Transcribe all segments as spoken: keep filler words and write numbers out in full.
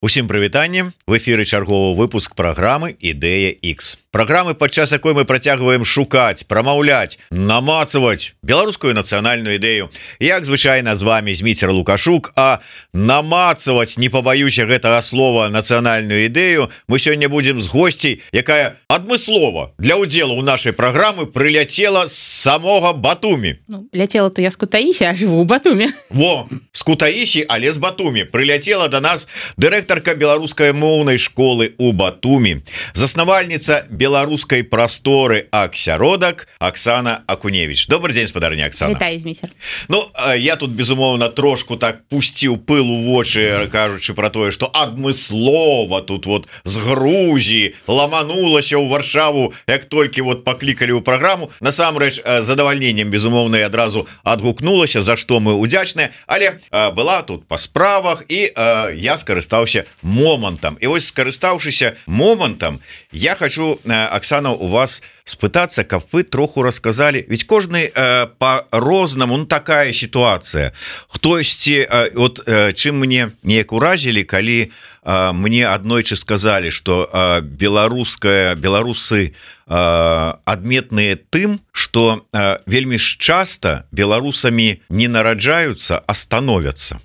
Усім прывітанне, в эфіры чарговы выпуск праграмы Ідэя X. Праграмы, падчас якой мы працягваем шукаць, прамаўляць, намацаваць беларускую нацыянальную ідэю. Як звычайна з вами Зміцер Лукашук, а намацаваць, не пабаюся гэтага слова, нацыянальную ідэю мы сёння будзем з госцей, якая адмыслова для ўдзелу ў нашай праграмы прыляцела з самога Батумі. Ну, ляцела то я з Кутаісі, а жыву ў Батуме. Во, з Кутаісі, але з Батумі. Прыляцела до нас дырэктарка беларускай моўнай школы ў Батумі, заснавальніца беларускай прасторы Аксяродак Оксана Акуневич. Добрый дзень, спадарня Оксана. Вітаю, Зміцер. Ну, я тут, безумоўна, трошку так пусціў пыл у вочы, кажучы про тое, што адмыслова тут вот з Грузіі ламанулася ў Варшаву, як толькі вот паклікалі ў праграму. Насамрэч, задавальненнем, безумоўна, адразу адгукнулася, за што мы удзячныя, але была тут па справах, і я скарыстаўся момантам. І вось, скарыстаўшыся момантам, я хочу, Оксана, у вас спытацца, каб вы троху расказалі, ведь кожны э, по-рознаму, ну такая ситуация. Хтосьці, э, вот э, чым мне неяк уразілі, калі э, мне аднойчы сказалі, что э, беларуская беларусы э, адметныя тым, что э, вельмі ж часто беларусамі не нараджаюцца, а становятся.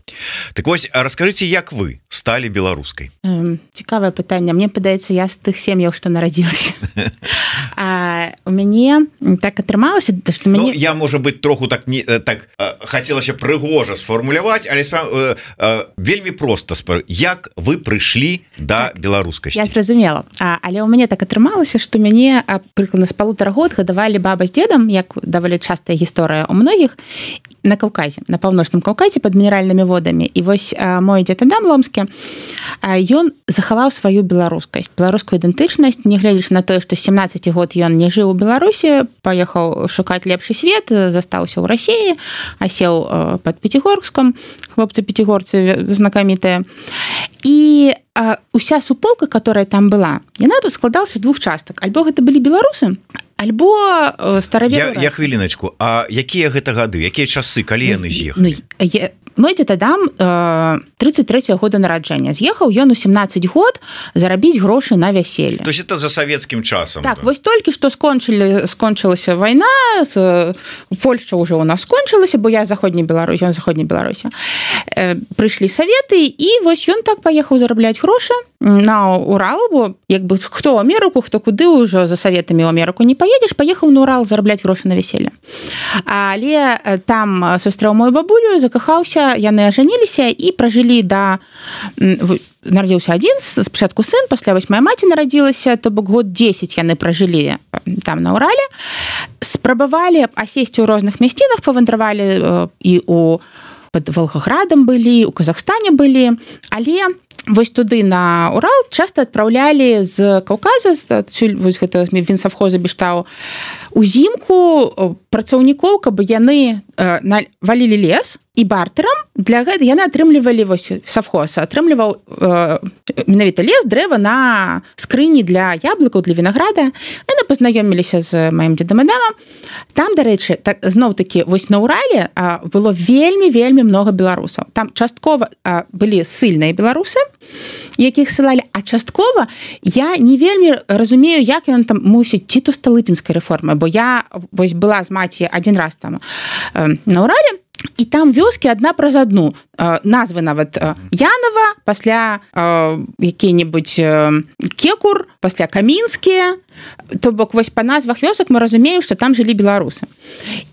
Так вось, раскажыце, як вы сталі беларускай? Эм, цікавае пытанне. Мне падаецца, я з тых сем'яў, што нарадзілася. А у мяне так атрымалася, што мяне... Ну, я, можа быть, троху так не так хацелася прыгожа сфармуляваць, але э, э, вельмі проста спар... як вы прыйшлі да так, беларускасці? Я зразумела. А, але ў мяне так атрымалася, што мяне прыкладна з палутара год гадавалі баба з дзедам, як даволі частая гісторыя у многіх, на Каўказе, на паўночным Каўказе пад мінеральнымі водамі. І вось а, мой дзед Адам Ломскі, а, ён захаваў сваю беларускасць, беларускую ідэнтычнасць, не гледзячы на тое, што з сямнаццаці год ён не жыў у Беларусі, паехаў шукаць лепшы свет, застаўся ў Расіі, асеў а, пад Пяцігорскам, хлопцы пяцігорцы знакамітыя. І а, уся суполка, которая там была, яна складалася з двух частак. Альбо гэта былі беларусы, альбо стараверы. Я, я хвіліначку, а якія гэта гады, якія часы, калі яны з'ехалі? Ну, я... Мой дзед Адам тридцать третьего года нараджэння. З'ехаў ён у семнаццаць год зарабіць грошы на вяселле. То есть это за савецкім часам? Так, да? Вось толькі што скончылі, скончылася вайна, з... Польшча ўжо у нас скончылася, бо я заходняй Беларусі, ён заходняй Беларусі. Э, прыйшлі саветы, і вось ён так паехаў зарабляць грошы на Урал, бо як бы хто ў Амерыку, хто куды ўжо за саветамі ў Амерыку не паедзеш, паехаў на Урал зарабляць грошы на вяселле. Але там сустрэў мою бабулю, закахаўся, яны ажаніліся і пражылі да... Нарадзіўся адзін, спачатку сын, пасля вось мая маці нарадзілася, то бок год дзесяць яны пражылі там на Урале. Спрабавалі асесці ў розных мясцінах, павандравалі і у пад Волгоградам былі, у Казахстане былі, але вось туды на Урал часта адпраўлялі з Каўказа, адсюль вось гэта Вінсавхоза Бештау, узімку працаўнікоў, каб яны э, валілі лес, і бартэрам для гэта яны атрымлівалі вось савхоз, атрымліваў э, менавіта лес, дрэва на скрыні для яблыкаў, для вінаграда. Яны пазнаёміліся з маім дзедам Адамам. Там, дарэчы, так, зноў-такі, вось на Урале а, было вельмі-вельмі много беларусаў. Там часткова а, былі ссыльныя беларусы, якіх ссылалі, а часткова я не вельмі разумею, як яны там мусіць ці то сталыпінскай рэформы, бо я вось была з маці адзін раз там э, на Урале, і там вёскі адна праз адну. Э, назвы нават э, Янова, пасля э, які-небудзь э, Кекур, пасля Камінскія. То бок вось па назвах вёсак мы разумеем, што там жылі беларусы.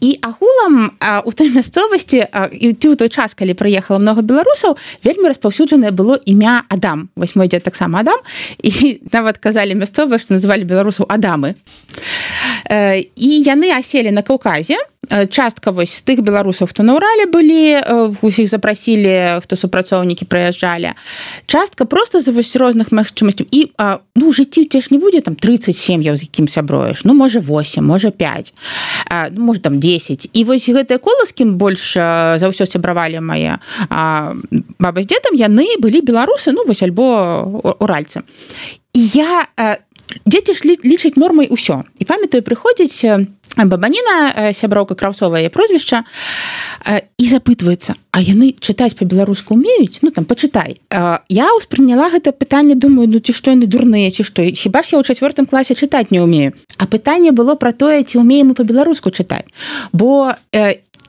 І агулам э, у той мясцовасці, э, і ў той час, калі прыехала много беларусаў, вельмі распаўсюджанае было імя Адам. Вось мой дзед таксама Адам, і нават казалі мясцовыя, што называлі беларусаў Адамы. Э, і яны аселі на Каўказе. Частка вось з тых беларусаў, хто на Урале былі, усіх запрасілі, хто супрацоўнікі прыязджалі. Частка проста з вось розных магчымасцяў. І ну, у жыцці ў цябе ж не будзе там тридцать сем'яў, з якім сяброеш. Ну, можа, восемь, можа, пять, ну, можа, там десять. І вось гэтыя колы, з кім больш за ўсё сябравалі мае баба з дзедам, яны былі беларусы, ну, вось, альбо уральцы. І я дзеці ж лічаць нормай усё. І памятаю, прыходзіць Бабаніна, сяброўка Краўцова, яе прозвішча, і запытваюцца, а яны чытаць па-беларуску умеюць? Ну, там, пачытай. Я ўспрыняла гэта пытанне, думаю, ну, ці што яны дурныя, ці што? Хіба ж я ў чацвёртым класе чытаць не ўмею? А пытанне было пра тое, ці ўмеем мы па-беларуску чытаць. Бо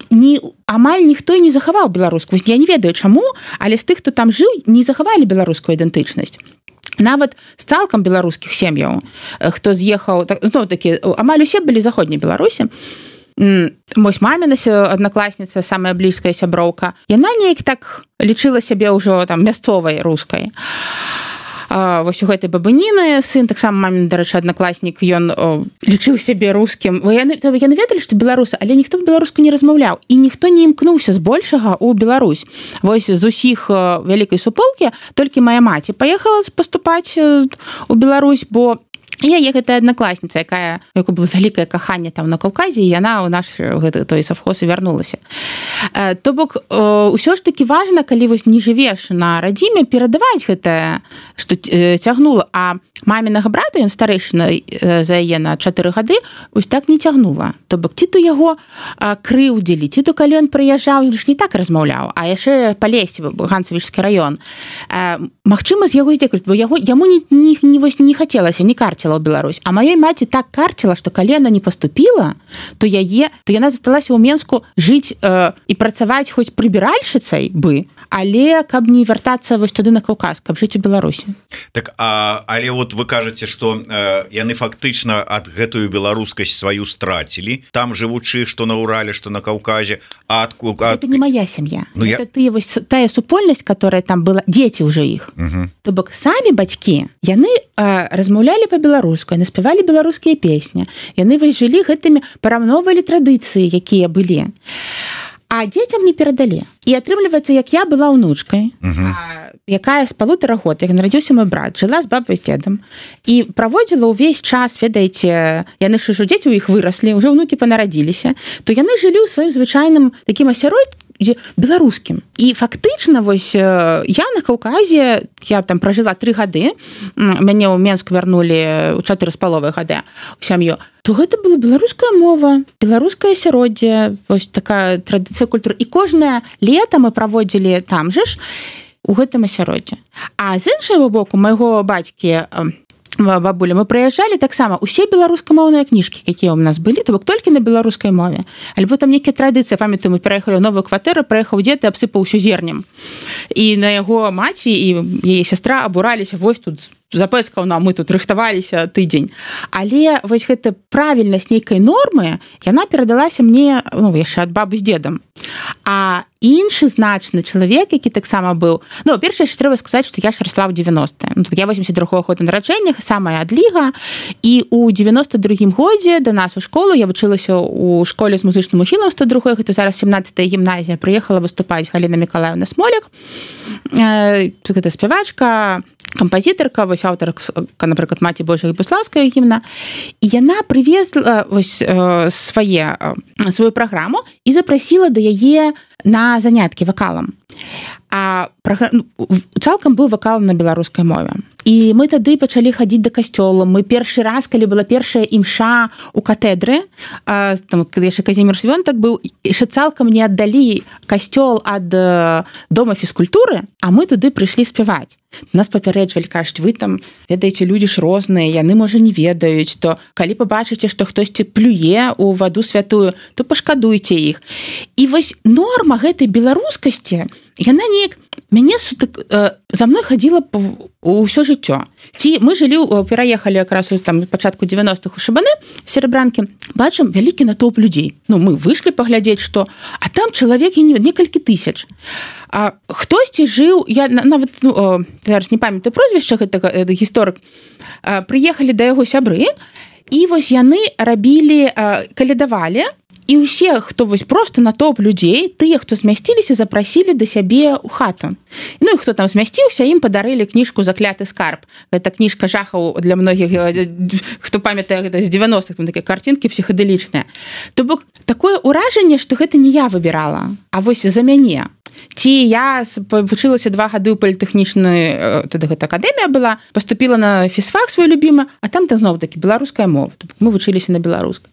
ні, амаль ніхто і не захаваў беларуску. Я не ведаю, чаму, але з тых, хто там жыў, не захавалі беларускую ідэнтычнасць. Нават з цалкам беларускіх сем'яў, хто з'ехаў, ну, такі, амаль усе былі заходняй Беларусі. Мой маміна аднакласніца, самая блізкая сяброўка, яна неяк так лічыла сябе ўжо там мясцовай рускай. А, вось у гэтай Бабаніны сын, таксама мамін, дарэчы, аднакласнік, ён о, лічыў сябе рускім. Яны, яны ведалі, што беларусы, але ніхто беларуску не размаўляў, і ніхто не імкнуўся збольшага ў Беларусь. Вось з усіх вялікай суполкі толькі мая маці паехала паступаць у Беларусь, бо яе гэтая аднакласніца, якая, у якой было вялікае каханне там на Каўказе, і яна ў наш гэты, той савхоз і вярнулася. То бок, ўсё ж такі важна, калі вось не жывеш на радзіме, перадаваць гэтае, што цягнула. А мамінага брата, ён старэйшына за яе на чатыры гады, вось так не цягнула. То бок, ці то яго крыўдзілі, ці то калі ён прыязджаў, ён ж не так размаўляў, а яшчэ па лесе, Ганцавічскі раён. Магчыма, з яго здзекаюць, бо яго, яму не, не, не, не хацелася, не карціла ў Беларусь. А маёй маці так карціла, што калі яна не паступіла, то яе, то яна засталася ў Менску жыць э, і працаваць хоць прыбіральшыцай бы, але каб не вяртацца вось туды на Каўказ, каб жыць у Беларусі. Так, а, але вот вы кажаце, што э, яны фактычна ад гэтую беларускасць сваю страцілі, там жывучы, што на Урале, што на Каўказе, а ад... ад... Это не моя сям'я. Ну, это я... тыя, вось, тая супольнасць, которая там была, дзеці ўжо іх. Угу. То бок, самі бацькі, яны э, размаўлялі па-беларуску, яны спявалі беларускія песні, яны вось жылі гэтымі, параўноўвалі традыцыі, якія былі. А дзецям не перадалі. І атрымліваецца, як я была ўнучкай, uh-huh. а, якая з палутара год, як нарадзіўся мой брат, жыла з бабай з дзедам і праводзіла ўвесь час, ведаеце, яны ж ужо дзеці ў іх выраслі, ўжо ўнукі панарадзіліся, то яны жылі ў сваім звычайным такім асяроддзі беларускім. І фактычна, вось, я на Каўказе, я там пражыла тры гады, мяне ў Менску вярнулі ў чатыры з паловай гады ў сям'ю, то гэта была беларуская мова, беларускае асяроддзе, вось такая традыцыя культуры. І кожнае лета мы праводзілі там же ж у гэтым асяроддзі. А з іншага боку, майго бацькі, бабуля, мы прыязджалі таксама усе беларускамоўныя кніжкі, якія ў нас былі, то бок толькі на беларускай мове. Альбо там нейкія традыцыі, памятаю, мы пераехалі ў новую кватэру, прыехаў дзед і абсыпаў усё зернем. І на яго маці і яе сястра абураліся, вось тут запэцкаў нам, мы тут рыхтаваліся тыдзень. Але вось гэта правільнасць нейкай нормы, яна перадалася мне, ну, яшчэ ад бабы з дзедам. А іншы значны чалавек, які таксама быў, ну, першае, яшчэ трэба сказаць, што я ж расла ў дзевяностыя. Ну, я восемьдесят другого года нараджэння, самая адліга, і ў девяносто другім годзе да нас у школу, я вучылася ў школе з музычным ухілам сто другой, гэта зараз семнадцатая гімназія, прыехала выступаць Галіна Мікалаевна Смоляк, гэта спявачка, кампазітарка, вось аўтарка, напрыклад, Маці Божая Буслаўская гімна, і яна прывезла вось свае, сваю праграму і запрасіла да яе на заняткі вакалам. А цалкам быў вакал на беларускай мове. І мы тады пачалі хадзіць да касцёла. Мы першы раз, калі была першая імша у катэдры, там, калі яшчэ Казімір Свёнтак быў, яшчэ цалкам не аддалі касцёл ад дома фізкультуры, а мы туды прыйшлі спяваць. Нас папярэджвалі, кажуць, вы там, ведаеце, людзі ж розныя, яны, можа, не ведаюць, то калі пабачыце, што хтосьці плюе ў ваду святую, то пашкадуйце іх. І вось норма гэтай беларускасці, яна неяк мяне за мной хадзіла ўсё жыццё. Ці мы жылі, пераехалі якраз там пачатку девяностых у Шабаны, Серебранкі, бачым вялікі натоўп людзей. Ну, мы выйшлі паглядзець, што, а там чалавек некалькі тысяч. А хтосьці жыў, я нават, ну, зараз не памятаю прозвішча гэтага гісторык, прыехалі да яго сябры, і вось яны рабілі, калядавалі, і ўсе, хто вось просто натоўп людзей, тыя, хто змясціліся, запрасілі да сябе ў хату. Ну і хто там змясціўся, ім падарылі кніжку «Закляты скарб». Гэта кніжка жахаў для многіх, хто памятае гэта з девяностых, там такія картинкі псіхадэлічныя. То бок такое ўражанне, што гэта не я выбірала, а вось за мяне. ці я вучылася два гады ў палітэхнічнай тады гэта акадэмія была, паступіла на фізфак свой любімы, а там там зноў такі беларуская мова. Мы вучыліся на беларускай.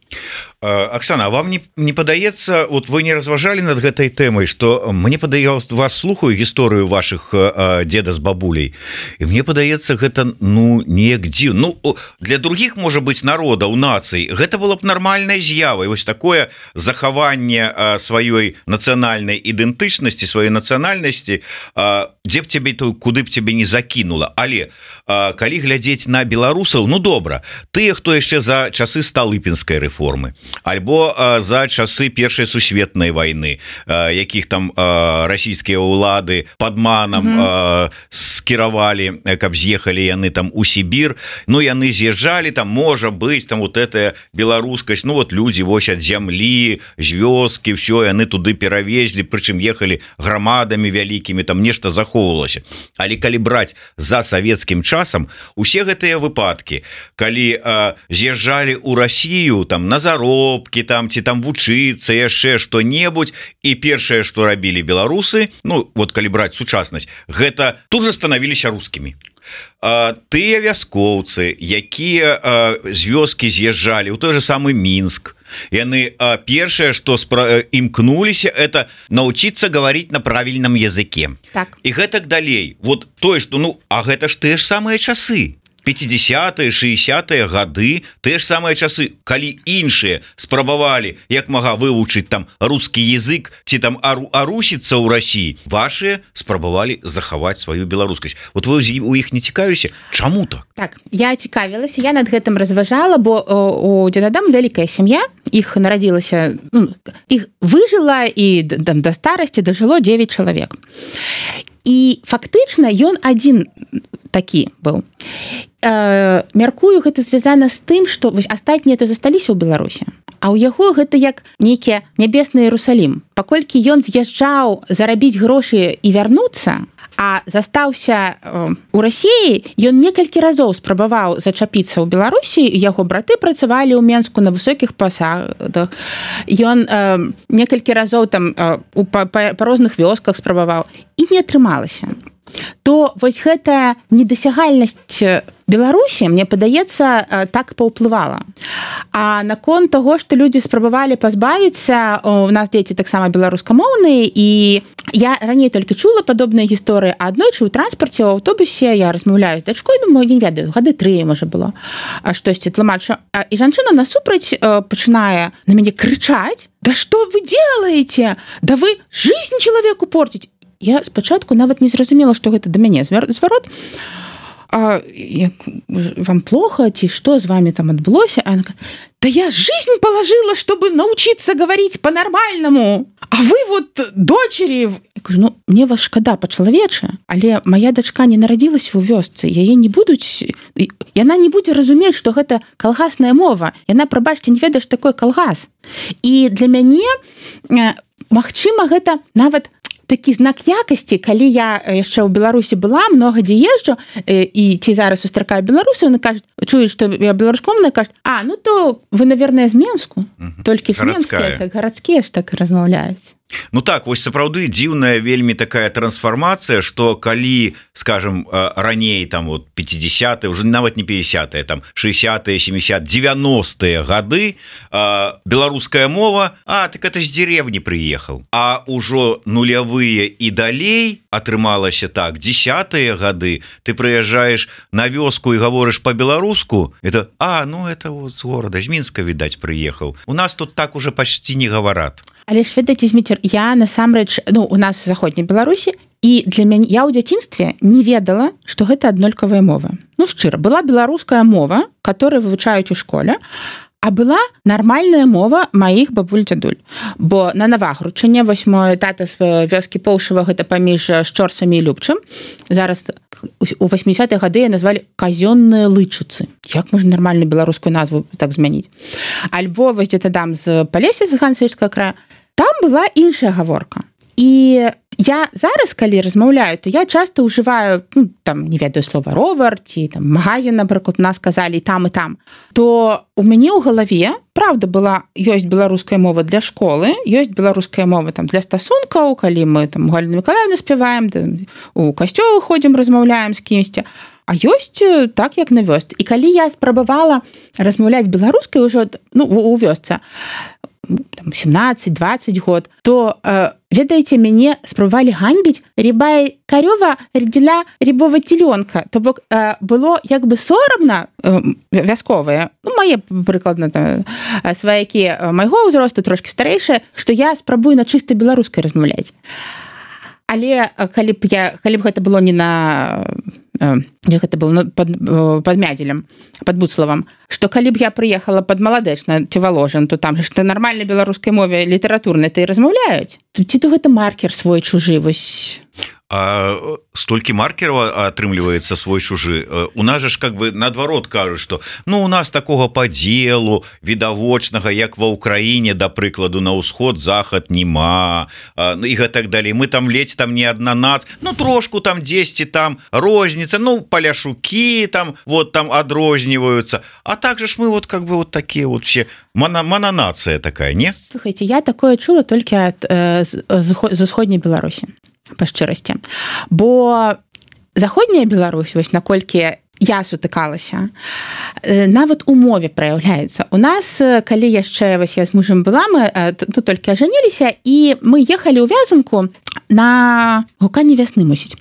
Оксана, а вам не, не падаецца, вот вы не разважалі над гэтай тэмай, што мне падаецца, вас слухаю гісторыю ваших э, деда з бабуляй, і мне падаецца гэта ну неяк дзіў. Ну для других можа быць народаў, нацый, гэта было б нармальнай з'явай, вось такое захаванне э, сваёй нацыянальнай ідэнтычнасці, сваёй нацыянальнасці, э, дзе б цябе то куды б цябе не закінула. Але э, калі глядзець на беларусаў, ну добра, тыя, хто яшчэ за часы сталыпінскай рэформы, альбо э, за часы першай сусветнай вайны, э, якіх там э, расійскія ўлады падманам mm -hmm. э, скіравалі, каб з'ехалі яны там у Сібір. Ну яны з'язджалі, там можа быць там вот эта беларускасць, ну вот людзі вось ад зямлі, з вёскі, ўсё яны туды перавезлі, прычым ехалі грамадамі вялікімі, там нешта захоўвалася. Але калі браць за савецкім часам, усе гэтыя выпадкі, калі э, з'язджалі ў Расію там на заробкі там ці там вучыцца яшчэ што-небудзь, і першае, што рабілі беларусы, ну вот калі браць сучаснасць, гэта тут же станавіліся рускімі. А, тыя вяскоўцы, якія а, з вёскі з'язджалі ў той же самы Мінск, яны а, першае, што спра... імкнуліся, это научиться говорить на правільным языке. Так. І гэтак далей. Вот тое, што ну, а гэта ж тыя ж самыя часы. пятидесятые, шестидесятые гады, тыя ж самыя часы, калі іншыя спрабавалі як мага вывучыць там рускі язык ці там ару, арусіцца ў Расіі, вашыя спрабавалі захаваць сваю беларускасць. Вот вы у іх не цікавіліся? Чаму так? Так, я цікавілася, я над гэтым разважала, бо у дзедадам вялікая сям'я, іх нарадзілася, ну, іх выжыла і там да старасці дажыло девять чалавек. І фактычна ён адзін такі быў. Э, мяркую, гэта звязана з тым, што вось астатнія то засталіся ў Беларусі, а ў яго гэта як нейкі нябесны Іерусалім. Паколькі ён з'язджаў зарабіць грошы і вярнуцца, а застаўся э, у Расіі, ён некалькі разоў спрабаваў зачапіцца ў Беларусі, яго браты працавалі ў Менску на высокіх пасадах. Ён э, некалькі разоў там э, па, па, па розных вёсках спрабаваў, і не атрымалася. То вось гэтая недасягальнасць Беларусі, мне падаецца, так паўплывала. А наконт таго, што людзі спрабавалі пазбавіцца, у нас дзеці таксама беларускамоўныя, і я раней толькі чула падобныя гісторыі, а аднойчы ў транспарце, ў аўтобусе я размаўляю з дачкой, ну, не ведаю, гады тры, можа, было, штосьці тлумачу. І жанчына насупраць пачынае на мяне крычаць: «Да што вы делаете? Да вы жизнь человеку портите!» Я спачатку нават не зразумела, што гэта да мяне зварот. А, як, вам плохо, ці што з вами там адбылося? А она говорит: да я жизнь положила, чтобы научиться говорить по-нормальному. А вы вот дочери... Я кажу, ну, мне вас шкада па-чалавечы, але моя дачка не нарадзілася ў вёсцы, яе не будуць... Яна не будзе разумець, што гэта калгасная мова. Яна, прабачце, не ведае, што такое калгас. І для мяне, магчыма, гэта нават такі знак якасці, калі я яшчэ ў Беларусі была, много дзе езджу, і ці зараз сустракаю беларусаў, яны кажуць, чуюць, што я беларускамоўная, кажуць: а, ну то вы, наверное, з Менску, угу. Толькі ж менскія, так, гарадскія ж так размаўляюць. Ну так, вось сапраўды дзіўная вельмі такая трансфармацыя, што калі, скажем, раней там вот пятидесятые, уже нават не пятидесятые, там шестидесятые, семидесятые, девяностые гады, э, беларуская мова, а так это з деревні прыехаў. А ўжо нулявыя і далей атрымалася так, десятые гады ты прыязджаеш на вёску і гаворыш по-беларуску, это а, ну это вот з горада, з Мінска, відаць, прыехаў. У нас тут так уже почти не гаварат. Але ж ведаеце, Зміцер, я насамрэч, ну, у нас в заходняй Беларусі, і для мяне, я ў дзяцінстве не ведала, што гэта аднолькавая мова. Ну, шчыра, была беларуская мова, которую вывучаюць у школе, а была нармальная мова маіх бабуль-дзядуль. Бо на Навагрудчыне, вось мой тата з вёскі Поўшава, гэта паміж Шчорсамі і Любчым. Зараз у восьмидесятые гады назвалі казённыя лычыцы. Як можна нармальную беларускую назву так змяніць? Альбо вось дзе-то там з Палесся, з Ганцэвічскага края, там была іншая гаворка. І я зараз, калі размаўляю, то я часто ўжываю, ну, там, не ведаю, слова ровар, ці там магазин, напрыклад, нас сказалі там і там, то у мяне ў галаве, правда, была, ёсць беларуская мова для школы, ёсць беларуская мова там для стасункаў, калі мы там у Галіны Миколаївны спяваем, у касцёл ходзім, размаўляем з кімсьці, а ёсць так, як на вёсцы. І калі я спрабавала размаўляць беларускай ўжо, ну, у вёсцы, там, семнадцать-двадцать год, то, э, ведаеце, мяне спрабавалі ганьбіць рябая карёва родзіла рябого теленка. То бок э, было як бы сорамна э, вясковыя, ну, мае прыкладна там, сваякі майго ўзросту, трошки старэйшыя, што я спрабую на чыстай беларускай размаўляць. Але калі б я, калі б гэта было не на... як гэта было пад, пад Мядзелем, пад Буцлавам, што калі б я прыехала пад Маладэчна ці Воложин, то там ж нармальнай беларускай мове літаратурнай то і размаўляюць. Ці то гэта маркер свой чужы, вось... А столькі маркераў атрымліваецца свой чужы. У нас же ж как бы наадварот кажуць, што ну у нас такога падзелу відавочнага, як ва ўкраіне, да прыкладу, на ўсход захад нема і гэтак далей. Мы там ледзь там не адна нац, ну трошку там дзесьці там розніца, ну паляшукі там вот там адрозніваюцца. А так же ж мы вот как бы вот такія вот все мана, мананацыя такая, не? Слухайте, я такое чула толькі ад э, з, з усходняй Беларусі. Па шчырасці. Бо заходняя Беларусь, вось наколькі я сутыкалася, нават у мове праяўляецца. У нас, калі яшчэ вось я з мужам была, мы тут толькі ажаніліся, і мы ехалі ў вязанку на гуканне вясны, мусіць.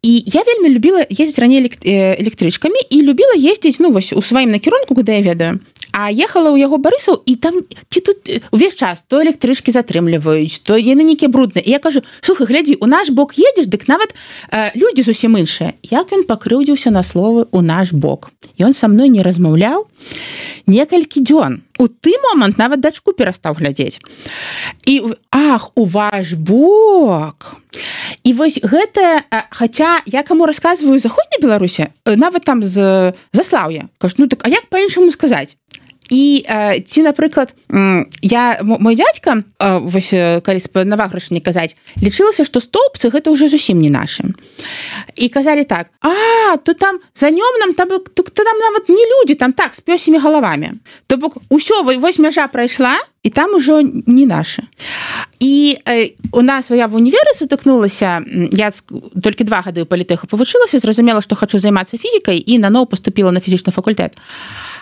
І я вельмі любіла ездзіць раней электрычкамі і любіла ездзіць, ну, вось у сваім накірунку, куды я ведаю. А ехала ў яго Барысаў, і там ці тут увесь час то электрычкі затрымліваюць, то яны нейкія брудныя. І я кажу: слухай, глядзі, у наш бок едзеш, дык нават э, людзі зусім іншыя. Як ён пакрыўдзіўся на словы «у наш бок». Ён са мной не размаўляў некалькі дзён. У ты момант нават дачку перастаў глядзець. І ах, у ваш бок. І вось гэта, хаця я каму расказваю заходняй Беларусі, нават там з Заслаўя, кажу, ну так, а як па-іншаму сказаць? І э, ці, напрыклад, я, мой дзядзька, э, вось, калі на Ваграшыне казаць, лічылася, што стоўбцы гэта ўжо зусім не нашы. І казалі так: а, то там за нём нам там, то, то там нават не людзі, там так, з пёсімі галавамі. То бок усё, вось мяжа прайшла, і там ужо не нашы. І э, у нас я в універі сутыкнулася, я толькі два гады ў палітэху павучылася, зразумела, што хачу займацца фізікай, і наноў паступіла на фізічны факультэт.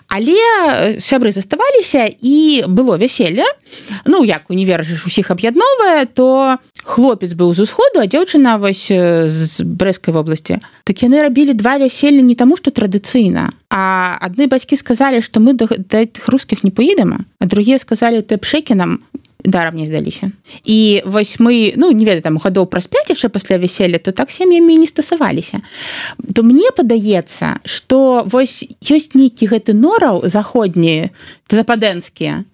Але сябры заставаліся, і было вяселле. Ну, як універ ж усіх аб'ядноўвае, то хлопец быў з усходу, а дзяўчына вось з Брэскай вобласці. Так яны рабілі два вяселля не таму, што традыцыйна, а адны бацькі сказалі, што мы да, да тых рускіх не поедам, а другія сказалі, ты пшэкі нам дарам не здаліся. І вось мы, ну, не ведаю, там гадоў праз пяць яшчэ пасля вяселля, то так сем'ямі не стасаваліся. То мне падаецца, што вось ёсць нейкі гэты нораў заходні, западэнскія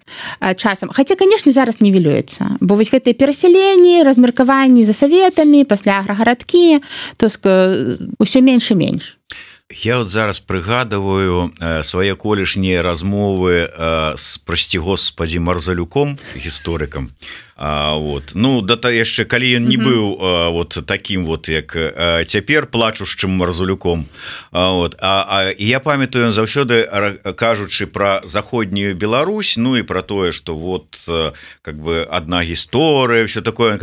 часам. Хаця, канешне, зараз нівелюецца, бо вось гэтыя перасяленні, размеркаванні за саветамі, пасля аграгарадкі, то ўсё менш і менш. Я вот зараз прыгадываю э, свае колішнія размовы э, с, прости господи, Марзалюком, гісторыкам. А, вот. Ну, да то яшчэ, калі ён не mm-hmm. быў а, вот таким вот, як а, цяпер плачушчым Марзалюком. А, вот. а, а я памятаю, ён заўсёды кажучы пра заходнюю Беларусь, ну і пра тое, што вот как бы адна гісторыя, ўсё такое,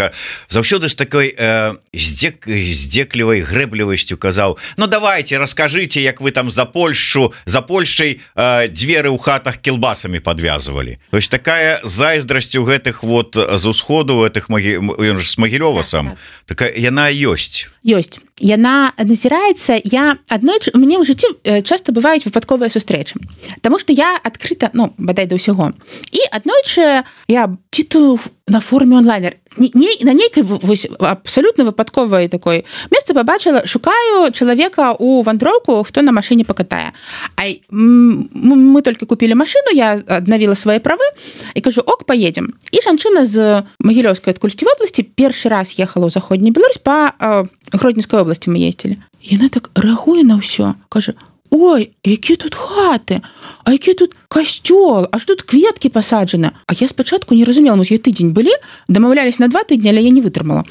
заўсёды з такой э, здзек, здзеклівай грэблівасцю казаў: ну давайте, раскажыце, як вы там за Польшчу, за Польшчай э, дзверы ў хатах кілбасамі падвязвалі. То есть такая зайздрасць у гэтых вот з усходу гэтых магі... ён ж з Магілёва сам. Так, так. Такая яна ёсць. Ёсць. Яна назіраецца, я аднойчы, у мяне ў жыцці часта бываюць выпадковыя сустрэчы. Таму што я адкрыта, ну, бадай да ўсяго. І аднойчы я ці то на форуме онлайнер, не, не, на нейкай вось, абсалютна выпадковай такой месцы пабачыла, шукаю чалавека ў вандроўку, хто на машыне пакатае. А мы толькі купілі машыну, я аднавіла свае правы і кажу: ок, поедем. І жанчына з Магілёўскай адкульсьці вобласці першы раз ехала ў заходняй Беларусь, па э, Гродненскай области мы ездили. Яна так реагуе на ўсё, кажа: ой, які тут хаты, а які тут касцёл, аж тут кветкі пасаджаны. А я спачатку не разумела, мы з ёй тыдзень былі, дамаўлялись на два тыдні, але я не вытрымала.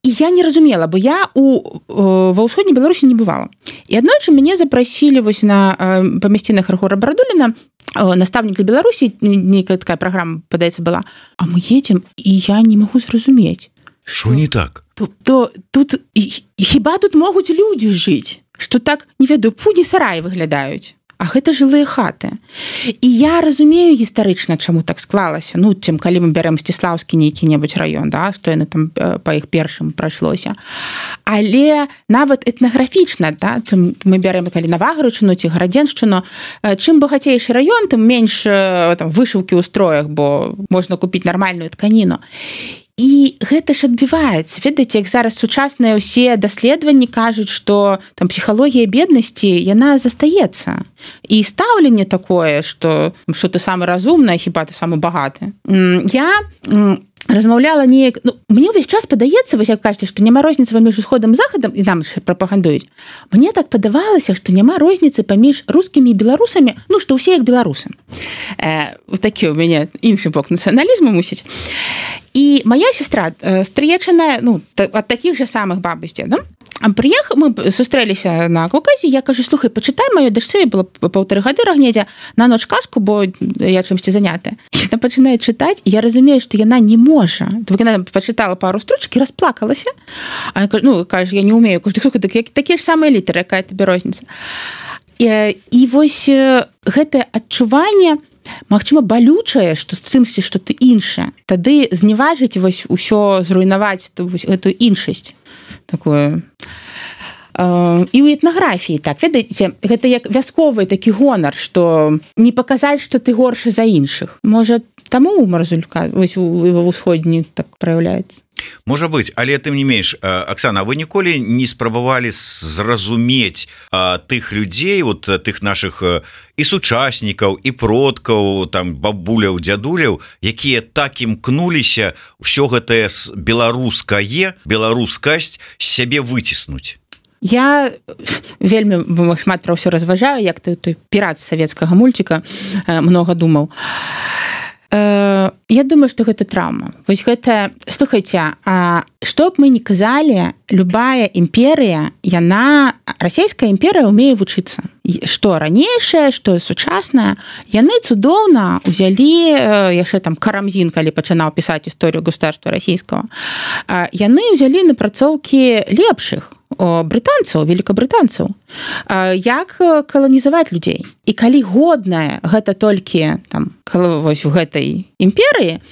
І я не разумела, бо я у, ва ўсходняй Беларусі не бывала. І аднойчы мяне запрасілі вось на памясцінах Рыгора Барадуліна, настаўнік для Беларусі, нейкая такая праграма, падаецца, была. А мы едзем, і я не магу зразумець. Што не так? То, то, тут, і, і хіба тут могуць людзі жыць? Што так, не ведаю, пуні сараі выглядаюць. А гэта жылыя хаты. І я разумею гістарычна, чаму так склалася. Ну, тым, калі мы бярем Сціслаўскі нейкі-небудзь раён, да, што яны там па іх першым прайшлося. Але нават этнаграфічна, да, тым мы бярем, калі Навагарычыну ці Гарадзеншчыну, чым багацейшы раён, тым менш там, вышыўкі ў строях, бо можна купіць нармальную тканіну. І гэта ж адбіваецца. Ведаеце, як зараз сучасныя ўсе даследаванні кажуць, што там псіхалогія беднасці, яна застаецца. І стаўленне такое, што, што ты самы разумны, хіба ты самы багаты. Я размаўляла неяк... Ну, мне ўвесь час падаецца, вось як кажаце, што няма розніцы паміж усходам і захадам, і нам прапагандуюць. Мне так падавалася, што няма розніцы паміж рускімі і беларусамі, ну, што ўсе як беларусы. Э, такі ў мяне іншы бок нацыяналізму мусіць. І моя сестра, стрыечаная, ну, ад такіх жа самых бабусцей, да? Прыехаў, мы сустрэліся на Каўказе, я кажу, слухай, пачытай маёй дачцэ, было паўтары гады рагнедзя, на ноч казку, бо я чымсьці занятая. Яна пачынае чытаць, і я разумею, што яна не можа. Яна пачытала пару строчак і расплакалася. А я кажу, ну, кажу, я не умею. Кажу, слухай, так, такія ж самыя літары, якая табе розніца. І, і вось гэтае адчуванне, магчыма, балючае, што з цымсьці, што ты іншая. Тады зневажыць вось усё, зруйнаваць вось гэтую іншасць. Такую. І ў этнаграфіі так, ведаеце, гэта як вясковы такі гонар, што не паказаць, што ты горшы за іншых. Можа, таму Марзулька вось ва ўсходні так праяўляецца. Можа быць, але тым не менш, Аксана, вы ніколі не спрабавалі зразумець тых людзей, вот тых нашых і сучаснікаў, і продкаў, там бабуляў, дзядуляў, якія так імкнуліся ўсё гэтае беларускае, беларускасць з сябе выціснуць? Я вельмі шмат пра ўсё разважаю, як той, той пірат савецкага мульціка многа думаў. Я думаю, што гэта траўма. Вось гэта, слухайце, што б мы не казалі, любая імперыя, яна, расійская імперыя умее вучыцца. Што ранейшае, што сучаснае, яны цудоўна ўзялі, яшчэ там Карамзін, калі пачынаў пісаць гісторыю государства расійскага, яны ўзялі напрацоўкі лепшых, брытанцаў, великабрытанцаў, як каланізаваць людзей. І калі годнае гэта толькі там, вось у гэтай імперыі,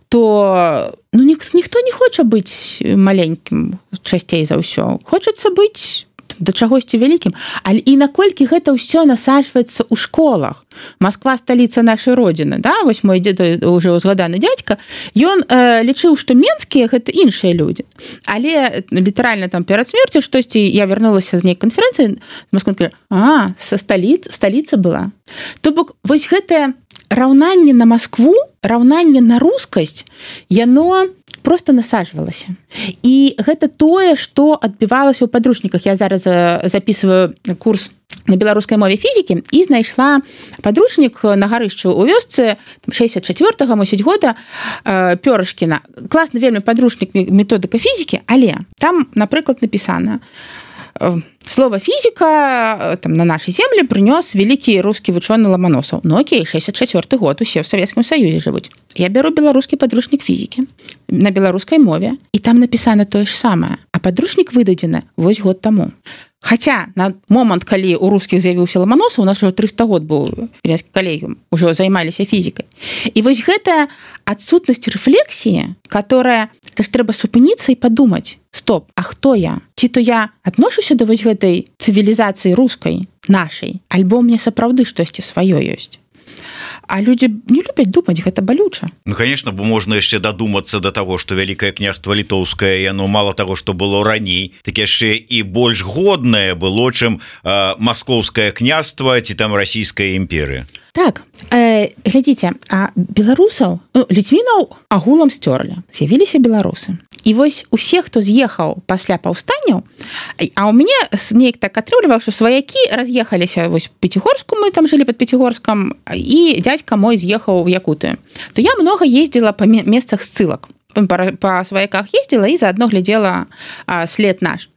то ну, нік, ніхто не хоча быць маленькім часцей за ўсё. Хочацца быць да чагосьці вялікім. Але і наколькі гэта ўсё насаджваецца ў школах. Москва сталіца нашай родзіны, да? Вось мой дзед, уже узгаданы дзядзька, ён э, лічыў, што менскія гэта іншыя людзі. Але літаральна там перад смерцю штосьці я вярнулася з нейкай канферэнцыі, а, са сталіц, сталіца была. То бок вось гэтае раўнанне на Маскву, раўнанне на рускасць, яно просто насаджвалася. І гэта тое, што адбівалася ў падручніках. Я зараз записываю курс на беларускай мове фізікі і знайшла падручнік на гарышчы ў вёсцы шэсцьдзесят чацвёртага мусіць года Пёрышкіна. Класны вельмі падручнік методыка фізікі, але там, напрыклад, напісана: слово фізіка там на нашай землі прынёс вялікі рускі вучоны Ламаносаў. Ну окей, шэсцьдесят чацвёрты год, усе ў Савецкім Саюзе жывуць. Я бяру беларускі падручнік фізікі на беларускай мове, і там напісана тое ж самае, а падручнік выдадзены вось год таму. Хаця на момант, калі у рускіх з'явіўся Ламаносаў, у нас уже трыста год быў Віленскі калегіум, ужо займаліся фізікай. І вось гэта адсутнасць рэфлексіі, которая, это ж трэба супыніцца і падумаць: стоп, а хто я? Ці то я адношуся да вось гэтай цывілізацыі рускай, нашай, альбо мне сапраўды штосьці сваё ёсць? А людзі не любяць думаць, гэта балюча. Ну, конечно, бо можна яшчэ дадумацца да таго, што вялікае княства літоўскае, яно мала таго, што было раней, так яшчэ і больш годнае было, чым э, маскоўскае княства ці там расійская імперыя. Так, э, глядзіце, а беларусаў, ну, літвінаў агулам сцёрлі, з'явіліся беларусы. І вось усе, хто з'ехаў пасля паўстанняў, а ў мяне неяк так атрымліваў, што сваякі раз'ехаліся вось Пяцігорску, мы там жылі пад Пяцігорскам, і дзядзька мой з'ехаў в Якуты. То я много ездзіла па месцах ссылак. Па, па сваяках ездзіла і заадно глядзела а, след наш.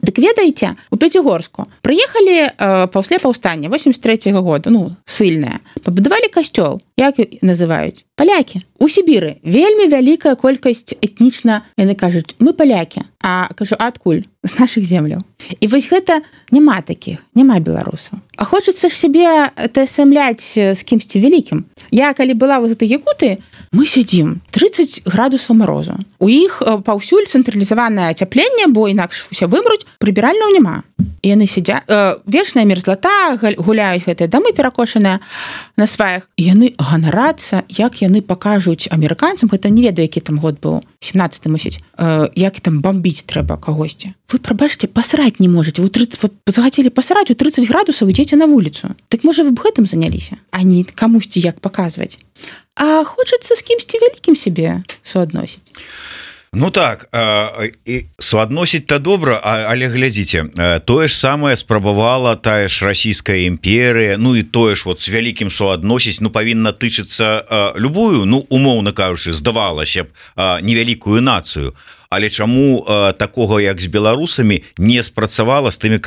Дык ведаеце, у Пяцігорску прыехалі э, пасля паўстання восемьдесят третьего года, ну, ссыльныя, пабудавалі касцёл, як называюць? Палякі. У Сібіры вельмі вялікая колькасць этнічна, яны кажуць, мы палякі, а кажу, а адкуль? З нашых земляў. І вось гэта няма такіх, няма беларусаў. А хочацца ж сябе тасамляць з кімсьці вялікім. Я, калі была ў гэтай Якуты, мы сядзім тридцать градусаў морозу. У іх паўсюль цэнтралізаванае ацяпленне, бо інакш усе вымруць, прыбіральняў няма. І яны сядзяць, э, вечная мерзлата, гуляюць гэтыя дамы перакошаныя на сваях. І яны ганарацца, як яны пакажуць амерыканцам, гэта не ведаю, які там год быў, семнадцаты мусіць, э, як там бомбіць трэба кагосьці. Вы, прабачце, пасраць не можаце. Вы тридцать, вот, захацелі пасраць у тридцать градусаў, ідзеце на вуліцу. Так можа вы б гэтым заняліся, а не камусьці як паказваць. А хочацца з кімсьці вялікім сябе суадносіць. Ну так, і суадносіць-то добра, але глядзіце, тое ж самае спрабавала тая ж расійская імперыя, ну і тое ж вот з вялікім суадносіць, ну павінна тычыцца любую, ну умоўна кажучы, здавалася б, невялікую нацыю. Але чаму э, такога, як з беларусамі, не спрацавала з тымі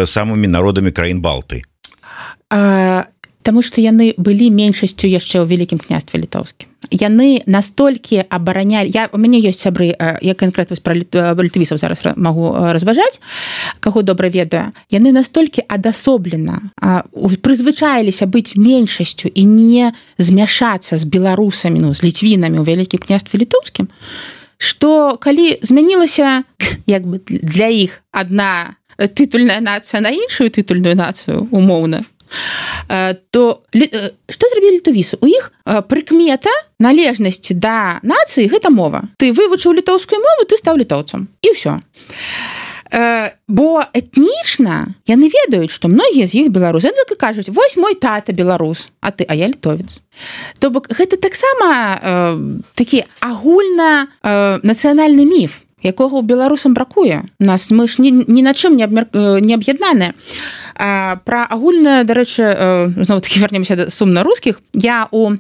самымі народамі краін Балты? А, таму што яны былі меншасцю яшчэ ў Вялікім княстве літоўскім. Яны настолькі абаранялі... Я, у мяне ёсць сябры, я канкрэтна пра літвісаў зараз магу разважаць, каго добра ведаю. Яны настолькі адасоблена прызвычаіліся быць меншасцю і не змяшацца з беларусамі, ну, з літвінамі ў Вялікім княстве літоўскім, што калі змянілася як бы для іх адна тытульная нацыя на іншую тытульную нацыю умоўна, то што зрабілі літовісы? У іх прыкмета належнасці да нацыі гэта мова. Ты вывучыў літоўскую мову, ты стаў літоўцам. І ўсё. Бо этнічна яны ведаюць, што многія з іх беларусы. Яны так і кажуць, вось мой тата беларус, а ты, а я літовец. То бок гэта таксама э, такі агульна э, нацыянальны міф, якога ў беларусам бракуе. Нас мы ж ні, ні на чым не, абмер... не аб'яднаныя. Пра агульна, дарэчы, э, зноў такі вернемся да сумна рускіх. Я у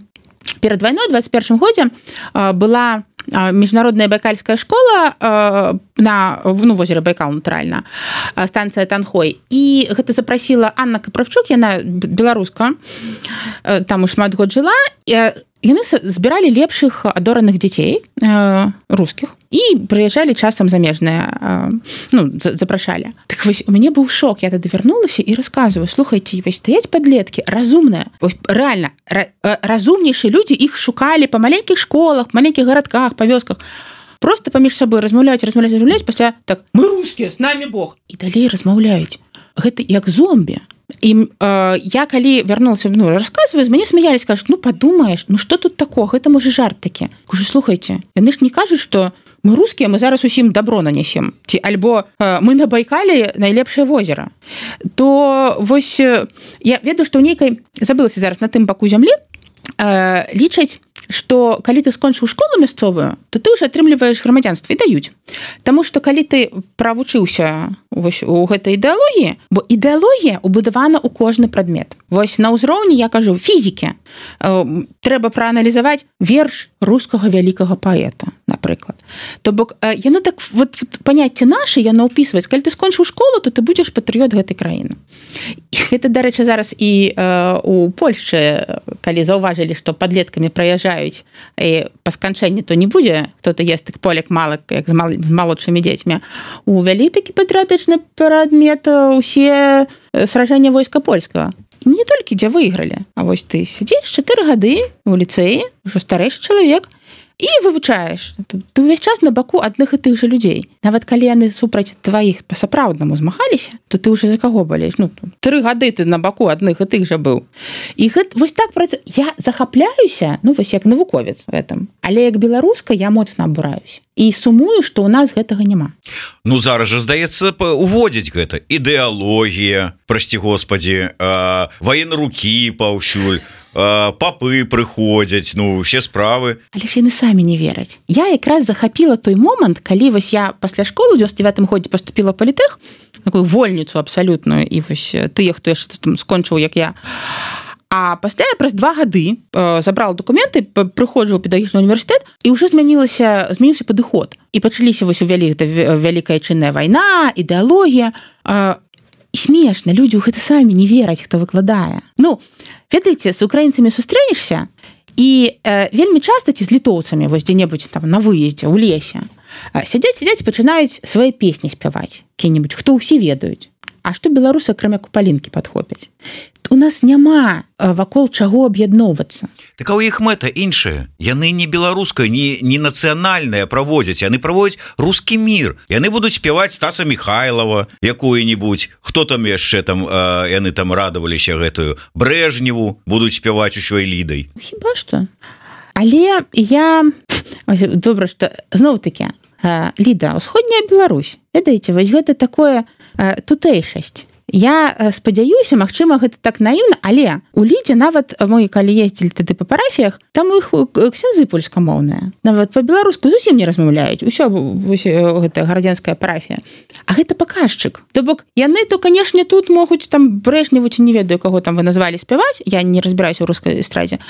перад вайной двадцать першым годзе э, была міжнародная байкальская школа на ну, возеры Байкал, натуральна, станцыя Танхой. І гэта запрасіла Анна Каправчук, яна беларуска, там у шмат год жыла. Яны збіралі лепшых адораных дзяцей рускіх і прыязджалі часам замежныя, ну, запрашалі. Так вось, у мяне быў шок, я тады вярнулася і расказваю, слухайце, вось стаяць падлеткі, разумныя, рэальна, разумнейшыя людзі, іх шукалі па маленькіх школах, маленькіх гарадках, па вёсках. Просто паміж сабой размаўляюць, размаўляюць, размаўляюць, пасля так, мы рускія, з намі Бог. І далей размаўляюць. Гэта як зомбі. І э, я калі вярнулася, ну, расказваю, з мяне смяялись, кажуць, ну, падумаеш, ну, што тут такое, гэта, можа, жарт такі. Кажу, слухайце, яны ж не кажуць, што мы рускія, мы зараз усім добро нанесем. Ці, альбо э, мы на Байкале найлепшае возера. То вось я ведаю, што ў нейкай, забылася зараз на тым баку зямлі, э, лічаць, што калі ты скончыў школу мясцовую, то ты ўжо атрымліваеш грамадзянства і даюць. Таму што калі ты правучыўся вось у гэтай ідэалогіі, бо ідэалогія ўбудавана ў кожны прадмет. Вось на ўзроўні, я кажу, фізікі. Трэба прааналізаваць верш рускага вялікага паэта, напрыклад. То бок, яно так, вот, паняцце наша, яно ўпісваць. Калі ты скончыў школу, то ты будзеш патрыёт гэтай краіны. І гэта, дарэчы, зараз і э, у Польшчы, калі заўважылі, што падлеткамі праязджаюць, і па сканчэнні то не будзе, хто-то ест тых полек малак, як з, мал, з малодшымі дзецьмі. Увялі такі патрыятычны прадмет усе сражэння войска польскага. Не толькі дзе выйгралі, а вось ты сядзіш чатыры гады у ліцэі, ўжо старэйшы чалавек, і вывучаеш. Ты ўвесь час на баку адных і тых жа людзей. Нават калі яны супраць тваіх па-сапраўднаму змагаліся, то ты ўжо за каго балееш? Ну, тры гады ты на баку адных і тых жа быў. І гэта, вось так працуе. Я захапляюся, ну, вось як навуковец гэтым. Але як беларуска я моцна абураюся. і сумую, што ў нас гэтага няма. Ну зараз жа здаецца уводзіць гэта ідэалогія, прасці господі, военрукі паўсюль, папы прыходзяць, ну усе справы. Але ж яны самі не вераць. Я якраз захапіла той момант, калі вось я пасля школы ў дзевяносто девятым годзе поступила ў палітэх, такую вольніцу абсалютную, і вось тыя, хто яшчэ там скончыў, як я. А пасля я праз два гады э, забрала документы, прыходжу ў педагагічны універсітэт, і ўжо змянілася змяніўся падыход. І пачаліся вось у вялік, вялікая чынная вайна, ідэалогія. Э, смешна, людзі ў гэта самі не вераць, хто выкладае. Ну, ведаеце, з украінцамі сустрэнешся, і э, вельмі часта ці з літоўцамі, вось дзе-небудзь там на выездзе, ў лесе, э, сядзяць, сядзяць, пачынаюць свае песні спяваць, які-небудзь, хто ўсе ведаюць. А што беларусы, акрамя купалінкі, падхопяць? У нас няма вакол чаго аб'ядноўвацца. Так а ў іх мэта іншая. Яны не беларуская, не, не нацыянальная праводзяць, яны праводзяць рускі мір. Яны будуць спяваць Стаса Михайлова якую-нибудь. Хто там яшчэ там, э, яны там радаваліся гэтую Брежневу, будуць спяваць усёй Лідай. Хіба што? Але я... Добра, што зноў-такі, Ліда, усходняя Беларусь. Ведаеце, вось гэта такое тутэйшасць. Я спадзяюся, магчыма, гэта так наіўна, але у Лідзе нават мы, калі ездзілі тады па парафіях, там у іх ксяндзы польскамоўныя. Нават па-беларуску зусім не размаўляюць. Усё гэта гарадзенская парафія. А гэта паказчык. То бок, яны то, канешне, тут могуць там Брежневу, ці не ведаю, каго там вы назвалі спяваць. Я не разбіраюся ў рускай эстрадзе.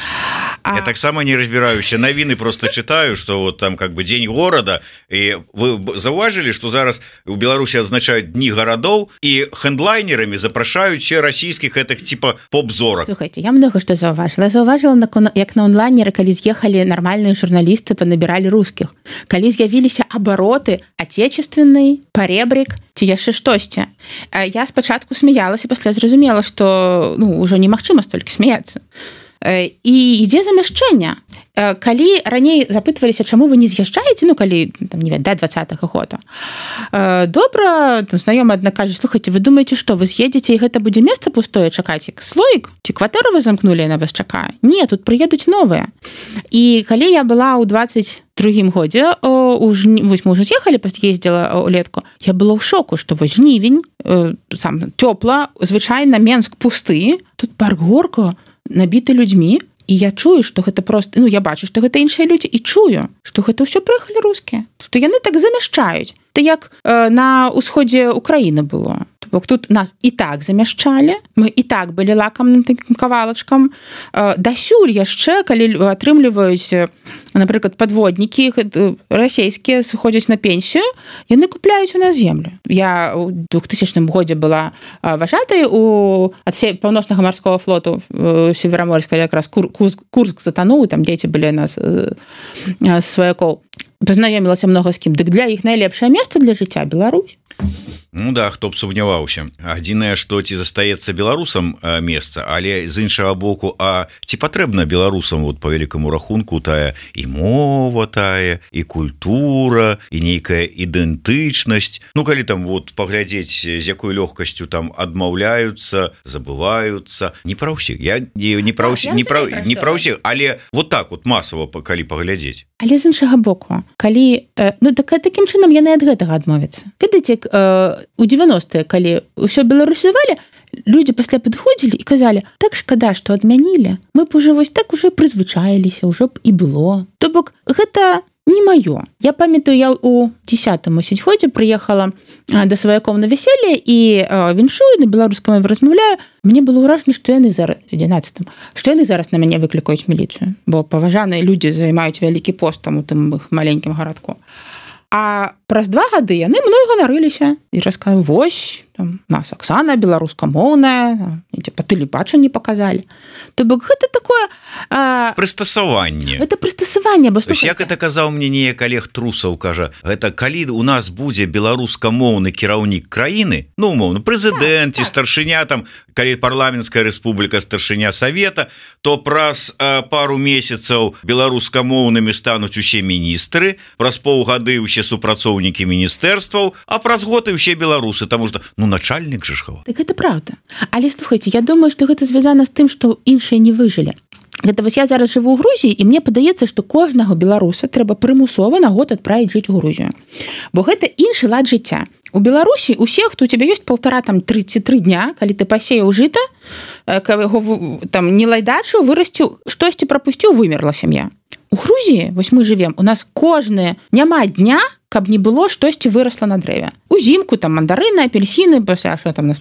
А... Я таксама не разбіраюся. Навіны просто читаю, што вот там как бы дзень горада. І вы заўважылі, што зараз у Беларусі адзначаюць дні гарадоў, і хендлайн запрашаюць все расійскіх гэтых типа поп-зорак. Слухайте, я много што заўважыла. Заўважыла, як на онлайнеры, калі з'ехалі нармальныя журналісты, панабіралі рускіх. Калі з'явіліся абароты отечественный, паребрик, ці яшчэ штосьці. Я спачатку смяялася, пасля зразумела, што ну, ўжо немагчыма столькі смяяцца. І ідзе замяшчэнне. Калі раней запытваліся, чаму вы не з'язджаеце, ну, калі, там, не ведаю, да двадцатага года, добра, знаёмы адна кажа, слухайце, вы думаеце, што вы з'едзеце, і гэта будзе месца пустое чакаць, як слоік? Ці кватэру вы замкнулі, яна вас чакае? Не, тут прыедуць новыя. І калі я была ў двадцать другім годзе, вось мы ўжо з'ехалі, ездзіла ўлетку, я была ў шоку, што вось жнівень, сам цёпла, звычайна Менск пусты, тут парк Горка набіты людзьмі, і я чую, што гэта просто, ну я бачу, што гэта іншыя людзі, і чую, што гэта ўсё прыехалі рускія, што яны так замяшчаюць. Это як э, на ўсходзе Украіны было. Бок тут нас і так замяшчалі, мы і так былі лакамным такім кавалачкам. Э, дасюль яшчэ, калі атрымліваюць, напрыклад, падводнікі расійскія сыходзяць на пенсію, яны купляюць у нас землю. Я ў двухтысячным годзе была важатай у ад паўночнага марскога флоту Севераморска, якраз Кур, Курск, Курск затануў, там дзеці былі нас э, э, сваякоў. Пазнаёмілася многа з кім. Дык для іх найлепшае месца для жыцця Беларусь. Ну да, хто б сумняваўся. Адзінае, што ці застаецца беларусам месца, але з іншага боку, а ці патрэбна беларусам вот по вялікаму рахунку тая і мова тая, і культура, і нейкая ідэнтычнасць. Ну калі там вот паглядзець, з якой лёгкасцю там адмаўляюцца, забываюцца, не пра ўсіх. Я не, не пра ўсіх, не пра, не пра ўсіх, але вот так вот масава калі паглядзець. Але з іншага боку, калі ну так такім чынам яны ад гэтага адмовяцца. Ведаеце, у девяностые, калі ўсё беларусізавалі, людзі пасля падыходзілі і казалі, так шкада, што адмянілі, мы б уже вось так уже прызвычаіліся, ўжо б і было. То бок гэта не маё. Я памятаю, я у десятым годзе прыехала да сваякоў на вяселле і віншую, на беларускай мове размаўляю. Мне было ўражанне, што яны зараз адзінаццатым, што яны зараз на мяне выклікаюць міліцыю, бо паважаныя людзі займаюць вялікі пост там у тым іх маленькім гарадку. А праз два гады яны мной ганарыліся і расказалі, вось, там, нас Аксана беларускамоўная, па тэлебачанні паказалі. То бок гэта такое... А... Прыстасаванне. Гэта прыстасаванне, бо слухайце. Як это казаў мне неяк Олег Трусаў, кажа, гэта калі у нас будзе беларускамоўны кіраўнік краіны, ну, умоўно, прэзідэнт ці так, так. старшыня, там, калі парламенцкая рэспубліка, старшыня савета, то праз а, пару месяцаў беларускамоўнымі стануць усе міністры, праз паўгады ўсе супрацоўнікі міністэрстваў, а праз год і ўсе беларусы, таму што, ну, начальнік же ж. Так гэта правда. Але, слухайце, я думаю, што гэта звязана з тым, што іншыя не выжылі. Гэта вось я зараз жыву ў Грузіі, і мне падаецца, што кожнага беларуса трэба прымусова на год адправіць жыць у Грузію. Бо гэта іншы лад жыцця. У Беларусі усе, хто у тебя ёсць полтора там тридцать три дня, калі ты пасеяў жыта, яго там не лайдачыў, вырасціў, штосьці прапусціў, вымерла сям'я. У Грузіі, вось мы жывем, у нас кожнае няма дня, каб не было штосьці вырасла на дрэве. Узімку там мандарыны, апельсіны, пасля што там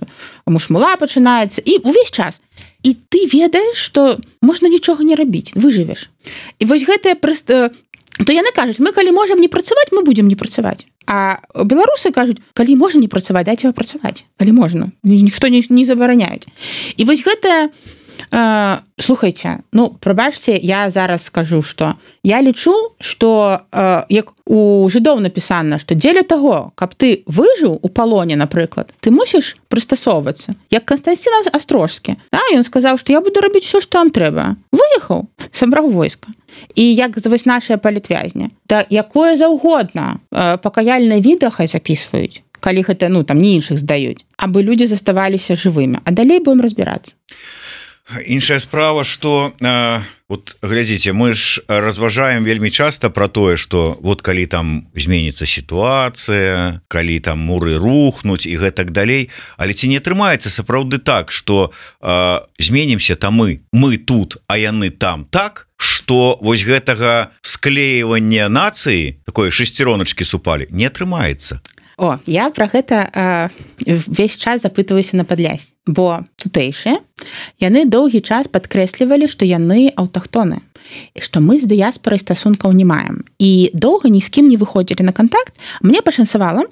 мушмула пачынаецца, і увесь час. І ты ведаеш, што можна нічога не рабіць, выжывеш. І вось гэтае проста то яны кажуць, мы калі можам не працаваць, мы будзем не працаваць. А беларусы кажуць, калі можна не працаваць, дайце працаваць, калі можна. Ніхто не, не забараняюць. І вось гэта э, слухайце, ну, прабачце, я зараз скажу, што я лічу, што э, як у жыдоў напісана, што дзеля таго, каб ты выжыў у палоне, напрыклад, ты мусіш прыстасоўвацца. Як Канстанцін Астрожскі. Да, ён сказаў, што я буду рабіць усё, што вам трэба. Выехаў, сабраў войска. І як вось нашыя палітвязні. Да якое заўгодна э, пакаяльнае відэа хай запісваюць, калі гэта, ну, там не іншых здаюць, абы людзі заставаліся жывымі. А далей будем разбірацца. Іншая справа, што э, вот глядзіце, мы ж разважаем вельмі часта про тое, што вот калі там зменіцца сітуацыя, калі там муры рухнуць і гэтак далей, але ці не атрымаецца сапраўды так, што э, зменімся там мы, мы тут, а яны там так, што вось гэтага склеівання нацыі, такой шестероночкі супалі, не атрымаецца. О, я про гэта э, весь час запытваюся на Падлясі, бо тутэйшыя яны доўгі час падкрэслівалі, што яны аўтахтоны, што мы з дыяспорай стасункаў не маем. І доўга ні з кім не выходзілі на кантакт. Мне пашанцавала,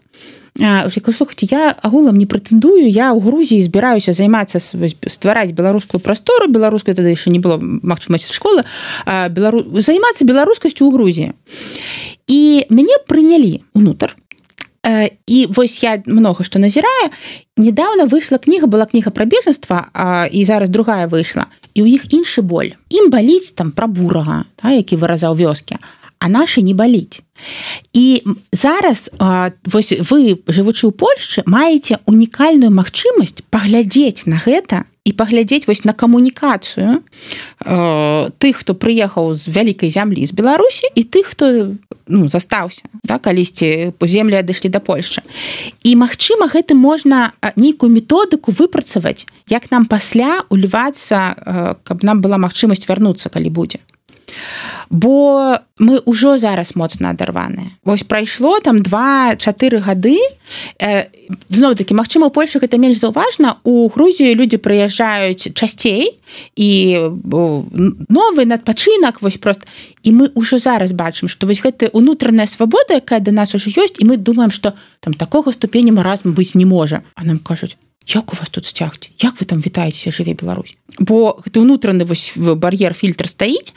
э, слухайце, я агулам не прэтэндую, я ў Грузіі збіраюся займацца, ствараць беларускую прастору, беларускай тады яшчэ не было магчымасці школы, э, белару... займацца беларускасцю ў Грузіі. І мяне прынялі ўнутр. І вось я много што назіраю. Недавно выйшла кніга, была кніга пра бежанства, і зараз другая выйшла. І ў іх іншы боль. Ім баліць там пра бурага, та, які выразаў вёскі, а нашы не баліць. І зараз вось вы, жывучы ў Польшчы, маеце унікальную магчымасць паглядзець на гэта і паглядзець вось на камунікацыю э, тых, хто прыехаў з вялікай зямлі з Беларусі, і тых, хто ну, застаўся, да, калісьці по землі адышлі да Польшчы. І магчыма, гэтым можна нейкую методыку выпрацаваць, як нам пасля улівацца, э, каб нам была магчымасць вярнуцца, калі будзе. Бо мы ўжо зараз моцна адарваныя. Вось прайшло там два-чатыры гады. Э, зноў-такі, магчыма, у Польшы гэта менш заўважна. У Грузію людзі прыязджаюць часцей, і новы надпачынак, вось прост. І мы ўжо зараз бачым, што вось гэтая унутраная свабода, якая да нас ужо ёсць, і мы думаем, што там такога ступеня маразму быць не можа. А нам кажуць, як у вас тут сцягці? Як вы там вітаецеся, жыве Беларусь? Бо гэты ўнутраны вось бар'ер, фільтр стаіць.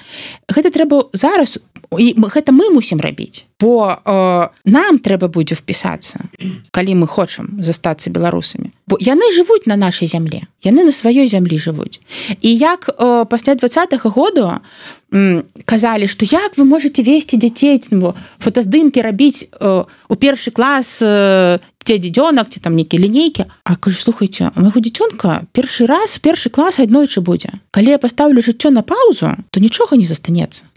Гэта трэба зараз, і гэта мы мусім рабіць. Бо э, нам трэба будзе впісацца, калі мы хочам застацца беларусамі. Бо яны жывуць на нашай зямлі. Яны на сваёй зямлі жывуць. І як э, пасля двадцатага году э, казалі, што як вы можаце весці дзяцей, фотаздымкі рабіць э, у першы клас э, ці дзіцёнак, ці там нейкія лінейкі. А кажу, слухайце, у майго дзіцёнка першы раз, першы клас аднойчы будзе. Калі я пастаўлю жыццё на паузу, то нічога не застанецца.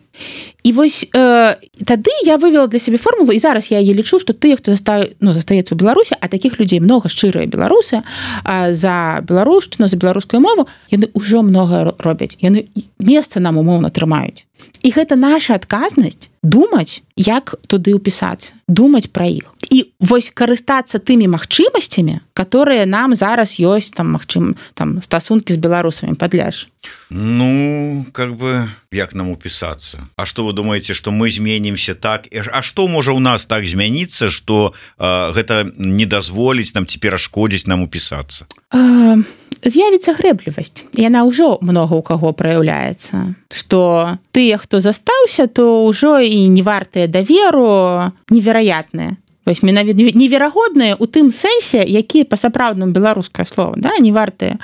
І вось э, тады я вывела для сябе формулу, і зараз я яе лічу, што тыя, хто застав... ну, застаецца ў Беларусі, а такіх людзей много, шчырыя беларусы, а за беларушчыну, за беларускую мову, яны ўжо многае робяць. Яны месца нам умоўна трымаюць. І гэта наша адказнасць думаць, як туды ўпісацца, думаць пра іх. І вось карыстацца тымі магчымасцямі, которые нам зараз ёсць, там, магчым, там, стасункі з беларусамі, Падляш. Ну, как бы, як нам упісацца? А што вы думаеце, што мы зменімся так? А што можа ў нас так змяніцца, што э, гэта не дазволіць нам ці перашкодзіць нам упісацца? Э, з'явіцца грэблівасць. Яна ўжо много ў каго праяўляецца. Што тыя, хто застаўся, то ўжо і не вартыя даверу, невераятныя. Вось менавіта неверагодныя ў тым сэнсе, які па-сапраўднаму беларускае слово, да, не вартыя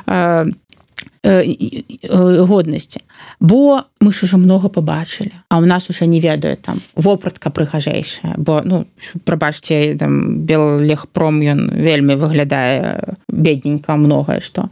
э, годнасці. Бо мы ж ужо много побачылі, а ў нас уже не ведаю там вопратка прыгажэйшая, бо, ну, прабачце, там Беллегпром, ён вельмі выглядае бедненька, многае што.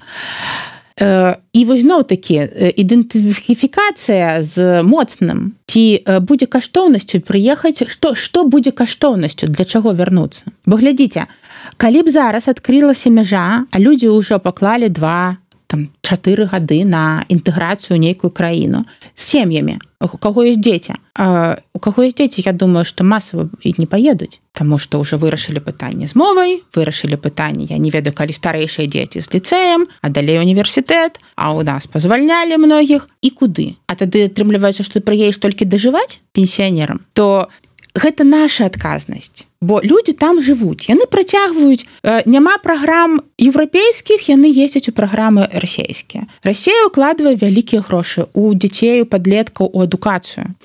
і вось зноў-такі ідэнтыфікацыя з моцным, ці будзе каштоўнасцю прыехаць, што, што будзе каштоўнасцю, для чаго вярнуцца. Бо глядзіце, калі б зараз адкрылася мяжа, а людзі ўжо паклалі два, там, чатыры гады на інтэграцыю ў нейкую краіну з сем'ямі, у каго ёсць дзеці. А у каго ёсць дзеці, я думаю, што масава і не паедуць, таму што ўжо вырашылі пытанне з мовай, вырашылі пытанне, я не ведаю, калі старэйшыя дзеці з ліцэем, а далей універсітэт, а ў нас пазвальнялі многіх, і куды? А тады атрымліваецца, што ты прыедзеш толькі дажываць пенсіянерам, то гэта наша адказнасць, бо людзі там жывуць, яны працягваюць, няма праграм еўрапейскіх, яны ездзяць у праграмы расійскія. Расія ўкладвае вялікія грошы ў дзяцей, у падлеткаў, у адукацыю.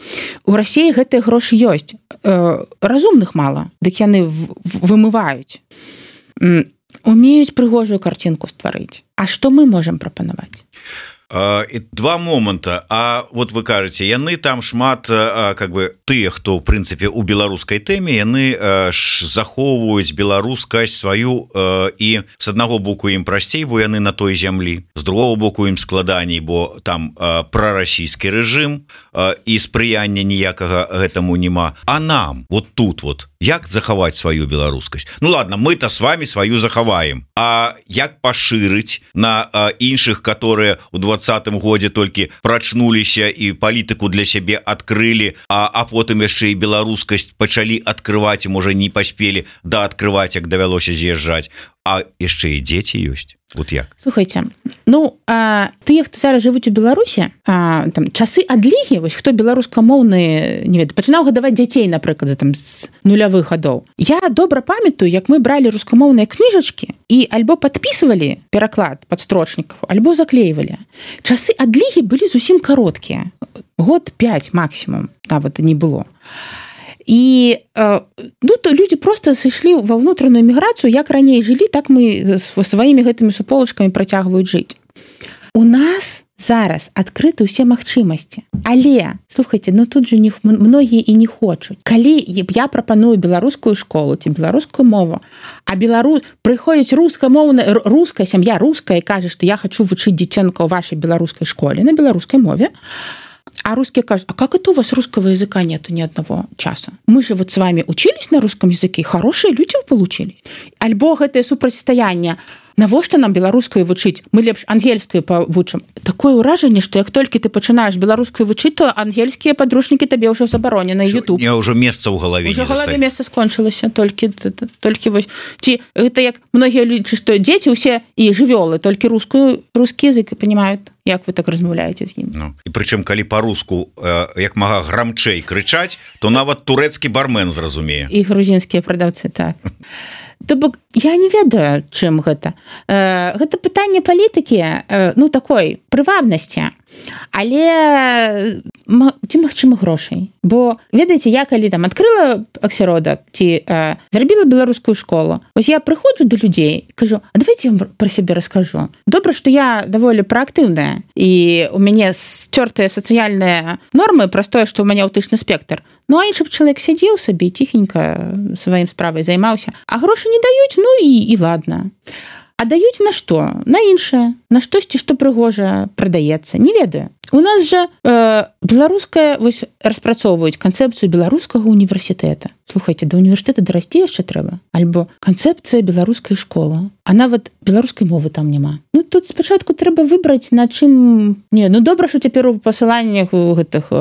У Расіі гэтыя грошы ёсць. Разумных мала, дык яны вымываюць. Умеюць прыгожую карцінку стварыць. А што мы можам прапанаваць? Uh, і два моманта. А вот вы кажаце, яны там шмат uh, как бы тыя, хто в прынцыпе у беларускай тэме, яны uh, захоўваюць беларускасць сваю uh, і з аднаго боку ім прасцей, бо яны на той зямлі, з другого боку ім складаней, бо там uh, прарасійскі рэжым uh, і спрыяння ніякага гэтаму няма. А нам вот тут вот як захаваць сваю беларускасць? Ну ладно, мы-то с вами сваю захаваем, а як пашырыць на uh, іншых, которые у двадцатым годзе толькі прачнуліся і палітыку для сябе адкрылі, а, а потым яшчэ і беларускасць пачалі адкрываць, і можа не паспелі да адкрываць, як давялося з'язджаць, а яшчэ і дзеці ёсць. Вот як? Слухайте, ну, а, тыя, хто зараз жывуць у Беларусі, а, там, часы адлігі, вось, хто беларускамоўны, не ведаю, пачынаў гадаваць дзяцей, напрыклад, там, з нулявых гадоў. Я добра памятаю, як мы бралі рускамоўныя кніжачкі і альбо падпісывалі пераклад падстрочнікаў, альбо заклейвалі. Часы адлігі былі зусім кароткія. Год пяць максімум, нават не было. І ну, то людзі проста сышлі ва ўнутраную міграцыю, як раней жылі, так мы сваімі гэтымі суполачкамі працягваюць жыць. У нас зараз адкрыты ўсе магчымасці. Але, слухайце, ну тут же не, многія і не хочуць. Калі я прапаную беларускую школу ці беларускую мову, а беларус прыходзіць рускамоўная, руская сям'я, руская, і кажа, што я хачу вучыць дзіцёнка ў вашай беларускай школе на беларускай мове, а русские кажут, а как это у вас русского языка нету ни одного часа? Мы же вот с вами учились на русском языке, хорошие люди получились. Альбо гэтае супрацьстаянне. Навошта нам беларускую вучыць? Мы лепш ангельскую павучым. Такое ўражанне, што як толькі ты пачынаеш беларускую вучыць, то ангельскія падручнікі табе ўжо забаронены на YouTube. Не, ўжо месца ў галаве не застае. Ўжо галаве месца скончылася, толькі, толькі вось. Ці гэта як многія лічаць, што дзеці ўсе і жывёлы, толькі рускую, рускі язык і панимаюць, як вы так размаўляеце з імі. Ну, і прычым, калі па-руску э, як мага грамчэй крычаць, то нават турэцкі бармен зразумее. І грузінскія прадаўцы, так. То бок я не ведаю, чым гэта. Э, гэта пытанне палітыкі, э, ну такой прывабнасці, але ці магчыма грошай. Бо ведаеце, я калі там адкрыла асяродак ці э, зрабіла беларускую школу, вось я прыходжу да людзей і кажу, а давайте я вам пра сябе раскажу. Добра, што я даволі праактыўная і у мяне сцёртыя сацыяльныя нормы праз тое, што ў мяне аўтычны спектр. Ну, а іншы б чалавек сядзеў сабе ціхенька сваім справай займаўся, а грошы не даюць, ну і, і ладно. А даюць на што? На іншае, на штосьці, што прыгожа прадаецца. Не ведаю. У нас жа э, беларуская вось распрацоўваюць канцэпцыю беларускага універсітэта. Слухайце, да універсітэта дарасці яшчэ трэба. Альбо канцэпцыя беларускай школы. А нават беларускай мовы там няма. Ну, тут спачатку трэба выбраць, на чым... Не, ну добра, што цяпер у пасыланнях гэтых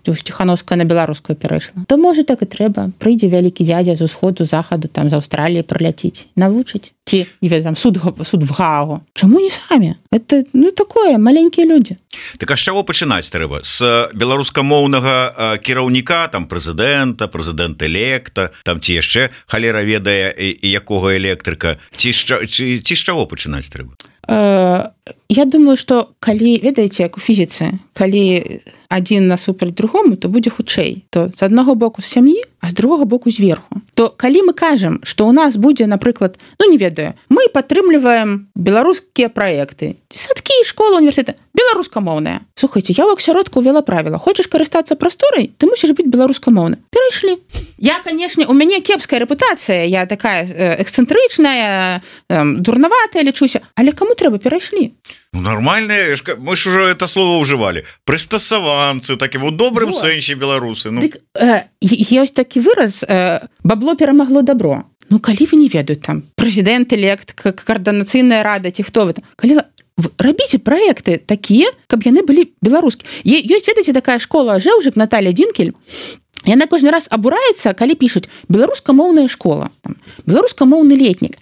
Ціхановская на беларускую перайшла. То, можа, так і трэба. Прыйдзе вялікі дзядзя з усходу, захаду, там, з Аўстраліі праляціць. Навучыць. Ці, не ведаю, там, суд, суд в Гаагу. Чаму не самі? Это, ну, такое, маленькія людзі. Так, а з чаго пачынаць трэба? З беларускамоўнага кіраўніка, там, прэзідэнта, прэзідэнт-электа, там, ці яшчэ халера ведае і якога электрыка, ці, ці, ці з чаго пачынаць трэба? Э, я думаю, што калі, ведаеце, як у фізіцы, калі адзін насупраць другому, то будзе хутчэй. То з аднаго боку з сям'і, а з другога боку зверху. То калі мы кажам, што ў нас будзе, напрыклад, ну не ведаю, мы падтрымліваем беларускія праекты, садкі, школа, універсітэт, беларускамоўная. Слухайце, я ў асяродку ўвяла правіла. Хочаш карыстацца прасторай, ты мусіш быць беларускамоўны. Перайшлі. Я, канешне, у мяне кепская рэпутацыя, я такая эксцэнтрычная, дурнаватая лічуся, але каму трэба перайшлі. Ну, нормальные, мы ж уже это слово уживали. Прыстасаванцы, таким вот добрым вот. Сэнсе беларусы. Ну. Дык, э, ёсць такі выраз, э, бабло перамагло добро. Ну, калі вы не ведаюць там прэзідэнт-элект, координацыйная рада, ці хто вы там, калі рабіце праекты такія, каб яны былі беларускія. Ёсць, ведаеце, такая школа Жэўжык, Наталья Динкель, яна кожны раз абураецца, калі пішуць беларускамоўная школа, там, беларускамоўны летнік.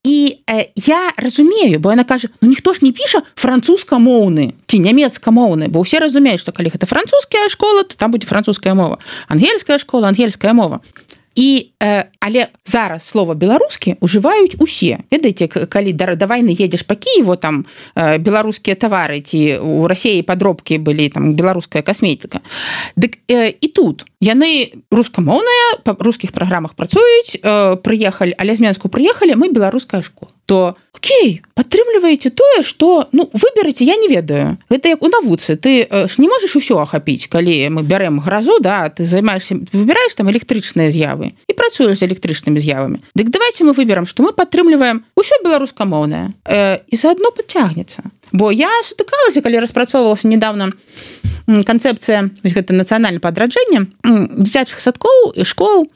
І э, я разумею, бо яна кажа, ну ніхто ж не піша французскамоўны ці нямецкамоўны, бо ўсе разумеюць, што калі гэта французская школа, то там будзе французская мова. Ангельская школа, ангельская мова. І, э, але зараз слова беларускі ўжываюць усе. Ведаеце, калі да, да вайны едзеш па Кіеву, там э, беларускія тавары, ці у Расіі падробкі былі, там беларуская касметыка. Дык э, і тут яны рускамоўныя, па рускіх праграмах працуюць, э, прыехалі, але з Менску прыехалі, мы беларуская школа. То окей, падтрымліваеце тое, што ну выберыце, я не ведаю. Гэта як у навуцы, ты ж не можаш усё ахапіць, калі мы бярэм гразу, да, ты займаешься, выбіраеш там электрычныя з'явы і працуеш з электрычнымі з'явамі. Дык давайте мы выберам, што мы падтрымліваем усё беларускамоўнае э, і заадно падцягнецца. Бо я сутыкалася, калі распрацоўвалася недавно канцэпцыя гэта нацыянальнае падраджэнне дзіцячых садкоў і школ.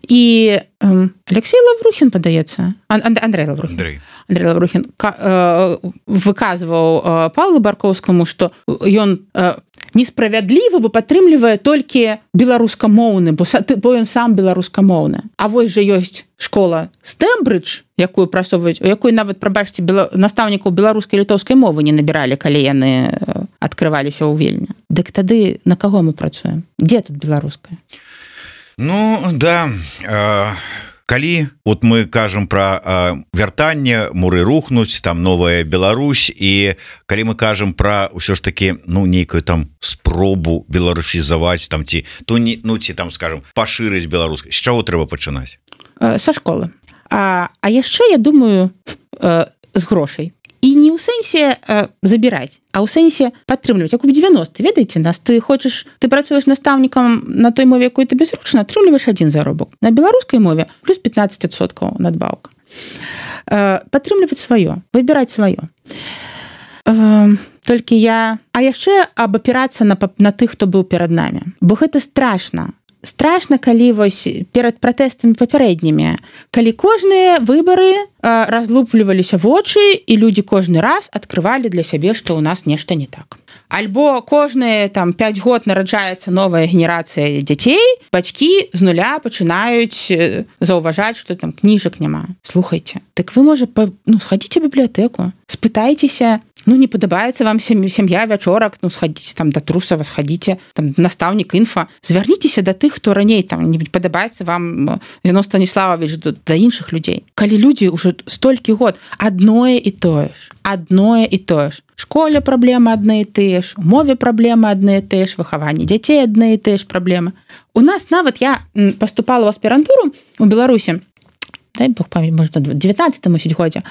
І э, Алексей Лаврухін, падаецца, Ан- Андрей Лаврухін, Андрей. Андрей Лаврухін ка, э, выказваў э, Павлу Баркоўскаму, што ён э, несправядліва, бо падтрымлівае толькі беларускамоўны, бо, бо ён сам беларускамоўны. А вось жа ёсць школа Стэмбридж, якую прасоўваюць, у якой нават, прабачце, бела... настаўнікаў беларускай і літоўскай мовы не набіралі, калі яны адкрываліся ў Вільні. Дык тады на каго мы працуем? Дзе тут беларуская? Ну, да, э, калі вот мы кажам про э, вяртанне, муры рухнуць, там новая Беларусь, і калі мы кажам про ўсё ж таки, ну, нейкую там спробу беларусізаваць, там, ці, то не, ну, ці там, скажем, пашырыць беларускай, з чаго трэба пачынаць? Э, са школы. А, а яшчэ, я думаю, э, з грошай. І не ў сэнсе э, забіраць, а ў сэнсе падтрымліваць. Як у дзевяностыя, ведаеце нас, ты хочаш, ты працуеш настаўнікам на той мове, якой табе зручна, атрымліваеш адзін заробак. На беларускай мове плюс пятнаццаць адсоткаў надбаўка. Э, падтрымліваць сваё, выбіраць сваё. Э, толькі я... А яшчэ абапірацца на, на тых, хто быў перад намі. Бо гэта страшна. Страшна, калі вось перад пратэстамі папярэднімі, калі кожныя выбары э, разлупліваліся вочы, і людзі кожны раз адкрывалі для сябе, што ў нас нешта не так. Альбо кожныя там пяць год нараджаецца новая генерацыя дзяцей, бацькі з нуля пачынаюць заўважаць, што там кніжак няма. Слухайце, так вы, можа, па... ну, схадзіце ў бібліятэку, спытайцеся, ну, не падабаецца вам сям'я вячорак, ну, схадзіце там да Трусава, схадзіце там настаўнік інфа, звярніцеся да тых, хто раней там не падабаецца вам Зіноў Станіславович, да, да іншых людзей. Калі людзі ўжо столькі год адное і тое ж, адное і тое ж. Школе праблемы адны і тыя ж, у мове праблемы адны і тыя ж, выхаванні дзяцей адны і тыя ж праблемы. У нас нават я паступала ў аспірантуру у Беларусі, дай Бог памяць, можа, на дзевятнаццатым годзе.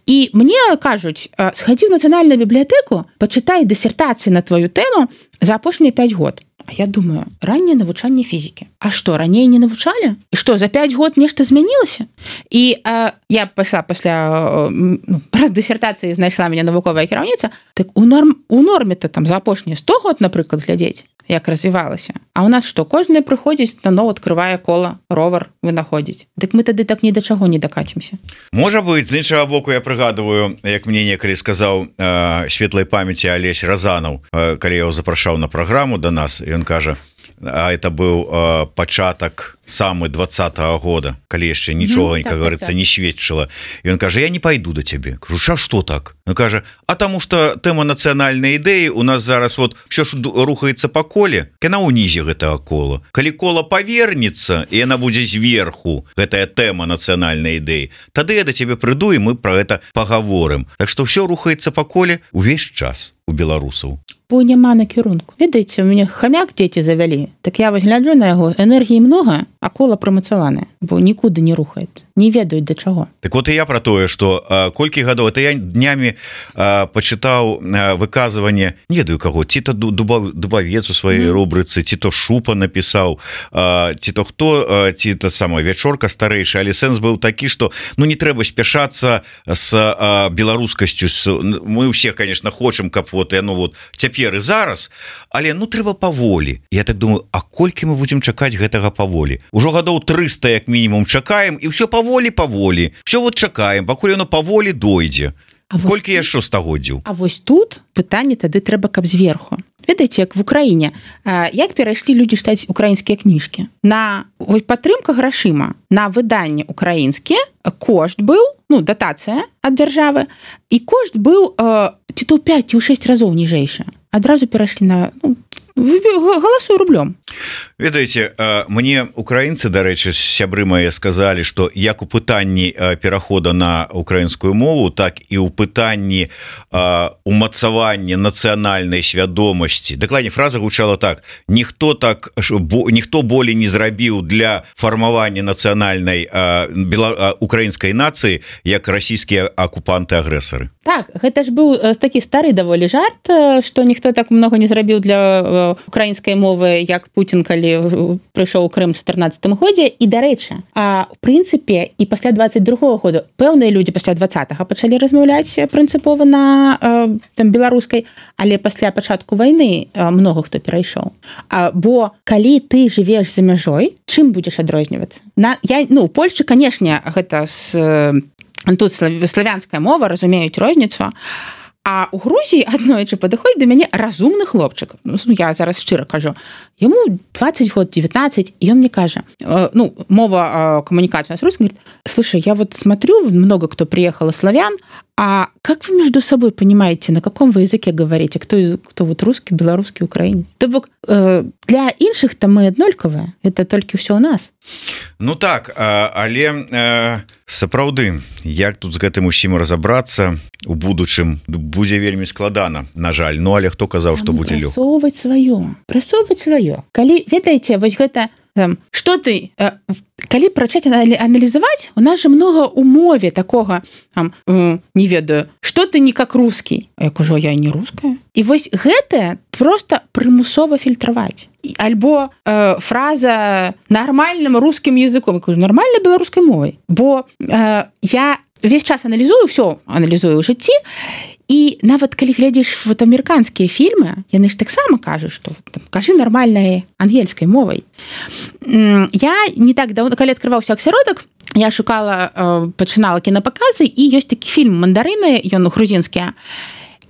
І мне кажуць, схадзі ў нацыянальную бібліятэку, пачытай дысертацыі на твою тэму за апошнія пяць год. А я думаю, ранняе навучанне фізікі. А што, раней не навучалі? І што, за пяць год нешта змянілася? І э, я пайшла пасля э, праз дысертацыі знайшла мяне навуковая кіраўніца, так у, норм, у норме-то там за апошнія сто год, напрыклад, глядзець, як развівалася. А у нас што, кожны прыходзіць, наноў адкрывае кола, ровар вынаходзіць. Дык мы тады так ні да чаго не дакацімся. Можа быць, з іншага боку, я прыгадываю, як мне некалі сказаў э, светлай памяці Алесь Разанаў, э, калі я его запрашаў на праграму да нас, і ён кажа, а это быў э, пачатак самы двадцатого года, калі яшчэ нічога, mm, как так, говорится, так. не сведчыла. І ён кажа, я не пайду да цябе. Кажу, ша, што так? Ён кажа, а таму што тэма нацыянальнай ідэі у нас зараз вот все ж рухаецца па коле, яна ўнізе гэтага кола. Калі кола павернецца, і яна будзе зверху, гэтая тэма нацыянальнай ідэі, тады я да цябе прыйду, і мы пра гэта пагаворым. Так што ўсё рухаецца па коле увесь час у беларусаў. Бо няма накірунку. Ведаеце, у мяне хамяк дзеці завялі, так я вось гляджу на яго, энергіі многа, а кола прамацаванае, бо нікуды не рухаецца. не ведаюць да чаго. Так вот і я про тое, што колькі гадоў это я днямі а, пачытаў а, выказванне, не ведаю каго, ці то Дубавец у сваёй mm. рубрыцы, ці то Шупа напісаў, а, ці то хто, а, ці та самая Вячорка старэйшая, але сэнс быў такі, што ну не трэба спяшацца з а, беларускасцю. Мы ўсе, конечно, хочам, каб вот яно вот цяпер і зараз, але ну трэба паволі. Я так думаю, а колькі мы будзем чакаць гэтага паволі? Ужо гадоў трыста як мінімум чакаем, і ўсё паволі паволі. Все вот чакаем, пакуль яно паволі дойдзе. А колькі вось, яшчэ стагоддзяў? А вось тут пытанне тады трэба, каб зверху. Ведаеце, як в Украіне, як перайшлі людзі чытаць украінскія кніжкі. На падтрымка грашыма на выданне украінскія кошт быў, ну, датацыя ад дзяржавы, і кошт быў ці то ў пяць ці ў шэсць разоў ніжэйшы. Адразу перайшлі на... Ну, галасую рублём. Ведаеце, мне украінцы, дарэчы, сябры мае сказалі, што як у пытанні перахода на украінскую мову, так і ў пытанні умацавання нацыянальнай свядомасці. Дакладней, фраза гучала так: ніхто так ніхто болей не зрабіў для фармавання нацыянальнай украінскай нацыі, як расійскія акупанты-агрэсары. Так, гэта ж быў такі стары даволі жарт, што ніхто так многа не зрабіў для украінскай мовы, як Путін, калі прыйшоў у Крым у чатырнаццатым годзе. І, дарэчы, а ў прынцыпе і пасля дваццаць другога года пэўныя людзі пасля дваццатага пачалі размаўляць прынцыпова на там беларускай, але пасля пачатку вайны многа хто перайшоў. А, бо калі ты жывеш за мяжой, чым будзеш адрознівацца? На я ну, у Польшчы, канешне, гэта з тут славянская мова, разумеюць розніцу. А у Грузіі аднойчы падыходзіць да мяне разумны хлопчык. Ну, я зараз шчыра кажу. Яму двадцать год, девятнадцать, и он мне кажа, э, ну, мова э, коммуникации с русским, говорит: слушай, я вот смотрю, много кто приехал из славян, а как вы между собой понимаете, на каком вы языке говорите? Кто, кто вот русский, белорусский, украинец? То бок, э, для іншых-то мы аднолькавыя. Это толькі ўсё у нас. Ну так, але э, сапраўды, як тут з гэтым усім разабрацца у будучым будзе вельмі складана, на жаль. Ну, але хто казаў, што будзе лёгка? Прасоўваць сваё, прасоўваць сваё. Калі, ведаеце, вось гэта, там, што ты, э, калі прачаць аналізаваць, у нас же много у мове такога, там, э, не ведаю, што ты не как русский. А я кажу, я не руская. І вось гэта просто прымусова фільтраваць. Альбо э, фраза нормальным русским языком. Я кажу, нормальной беларускай мовай. Бо э, я весь час аналізую, все аналізую ў жыцці, і нават калі глядзіш вот амерыканскія фільмы, яны ж таксама кажуць, што там, кажы нормальнай ангельскай мовай. Я не так давно, калі адкрываўся аксяродак, я шукала, э, пачынала кінапаказы, і ёсць такі фільм «Мандарыны», ён грузінскі,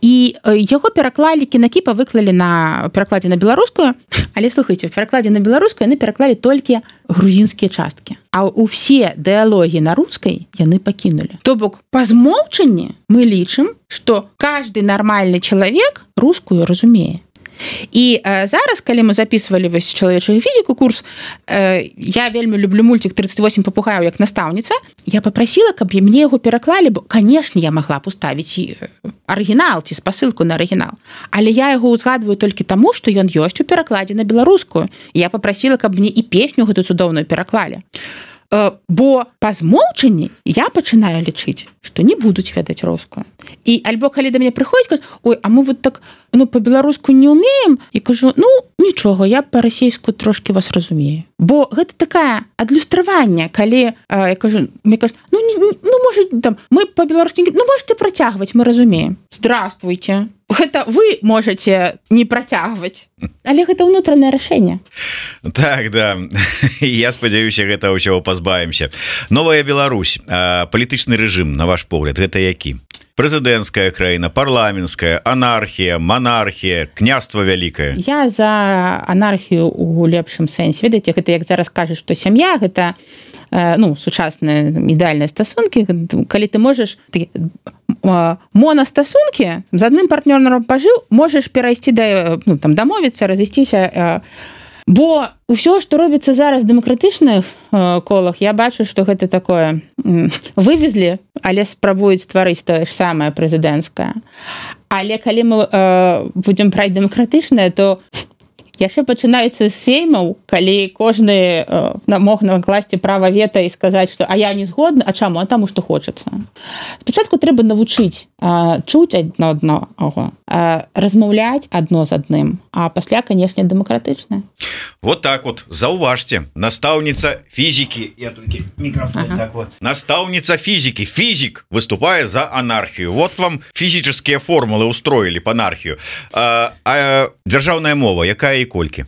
і яго пераклалі, кінакіпа выклалі на перакладзе на беларускую, але слухайце, в перакладзе на беларускую яны пераклалі толькі грузінскія часткі, а ўсе дыялогі на рускай яны пакінулі. То бок, па змоўчанні мы лічым, што кожны нармальны чалавек рускую разумее. І э, зараз, калі мы записывалі вось чалавечую фізіку курс, э, я вельмі люблю мультик тридцать восемь папугаяў як настаўніца, я попросила, каб мне яго пераклалі, бо, конечно, я могла б уставіць арыгінал ці спасылку на арыгінал, але я яго узгадваю толькі таму, што ён ёсць у перакладзе на беларускую. І я попросила, каб мне і песню гэту цудоўную пераклалі. Бо па змоўчанні я пачынаю лічыць, што не будуць ведаць рускую. І альбо калі да мяне прыходзіць, кажуць: ой, а мы вот так, ну, па-беларуску не ўмеем, і кажу, ну, нічога, я па-расейску трошкі вас разумею. Бо гэта такая адлюстраванне, калі, э, я кажу, мне кажуць, ну, не, не, ну, можа, там, мы па-беларуску, ну, можете працягваць, мы разумеем. Здравствуйте. Гэта вы можете не працягваць, але гэта ўнутранае рашэнне. Так, да, я спадзяюся, гэта ўсяго пазбавімся. Новая Беларусь, палітычны рэжым, на ваш погляд, гэта які? Прэзідэнцкая краіна, парламенцкая, анархія, монархія, княства вялікае? Я за анархію у лепшым сэнсе. Ведаеце, гэта як зараз кажуць, што сям'я гэта, ну, сучасныя ідэальныя стасункі, калі ты можаш ты, монастасункі з адным партнёрам пажыў, можаш перайсці да, ну, там, дамовіцца, разысціся. Бо ўсё, што робіцца зараз в дэмакратычных колах, я бачу, што гэта такое вывезлі, але спрабуюць стварыць тое ж самае прэзідэнцкае. Але калі мы э, будзем браць дэмакратычнае, то яшчэ пачынаецца з сеймаў, калі кожны э, мог накласці права вета і сказаць, што а я не згодны, а чаму, а таму што хочацца. Спачатку трэба навучыць э, чуць адно адно, э, размаўляць адно з адным, а пасля, канешне, дэмакратычна. Вот так вот, заўважце, настаўніца фізікі, я толькі мікрафон ага. так вот. Настаўніца фізікі, фізік выступае за анархію. Вот вам фізічныя формулы устроілі па анархію. А, а дзяржаўная мова, якая і колькі?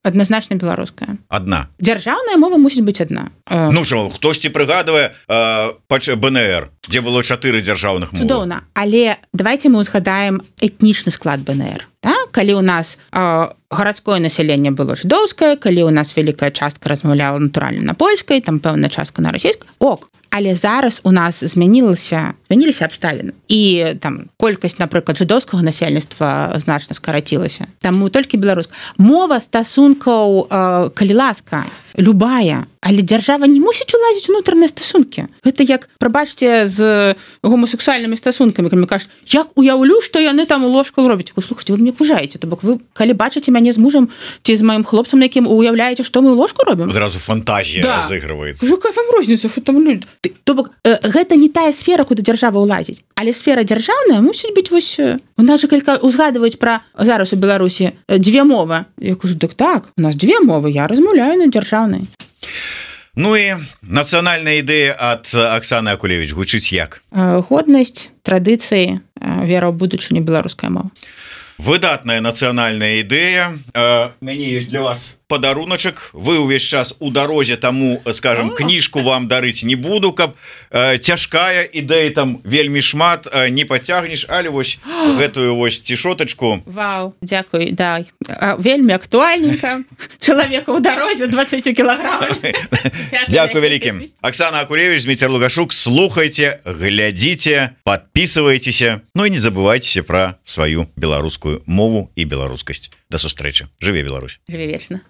Адназначна беларуская. Адна. Дзяржаўная мова мусіць быць адна. Ну що, хтосьці прыгадвае бэ эн эр, дзе было чатыры дзяржаўных мовы. Цудоўна, але давайте мы узгадаем этнічны склад бэ эн эр. Так? Калі у нас э, гарадское насяленне было жыдоўскае, калі у нас вялікая частка размаўляла натуральна на польскай, там пэўная частка на расійскай, ок. Але зараз у нас змянілася, змяніліся абставіны. І там колькасць, напрыклад, жыдоўскага насельніцтва значна скарацілася. Таму толькі беларуская. Мова стасункаў, э, калі ласка, любая, але дзяржава не мусіць улазіць унутраныя стасункі. Гэта як, прабачце, з гомасексуальнымі стасункамі, калі кажаш, як уяўлю, што яны там у ложку робяць. Слухайте, вы мне пужаеце, то бок вы, калі бачыце мяне з мужам ці з маім хлопцам, на якім уяўляеце, што мы ў ложку робім? Адразу фантазія да. разыгрываецца. Якая вам розніца, што там люди? То бок, э, гэта не тая сфера, куды дзяржава ўлазіць. Але сфера дзяржаўная мусіць быць вось... У нас же калі узгадваюць пра зараз у Беларусі дзве мовы. Я кажу, так так, у нас дзве мовы, я размаўляю на дзяржаўнай. Ну і нацыянальная ідэя ад Аксаны Акулевіч гучыць як? Годнасць, традыцыі, вера ў будучыню, беларуская мова. Выдатная нацыянальная ідэя. У мяне ёсць для вас падаруначак. Вы ўвесь час у дарозе, таму, скажем, кніжку вам дарыць не буду, каб э, цяжкая ідэя там вельмі шмат э, не пацягнеш, але вось гэтую вось цішотачку. Вау, дзякуй, да. Вельмі актуальненька. Чалавека ў дарозе дваццаць кілаграмаў. Дзякуй вялікім. Аксана Акулевіч, Зміцер Лугашук, слухайце, глядзіце, подписывайтеся, ну і не забывайцеся пра сваю беларускую мову і беларускасць. До сустрэчы. Жыве Беларусь. Жыве вечна.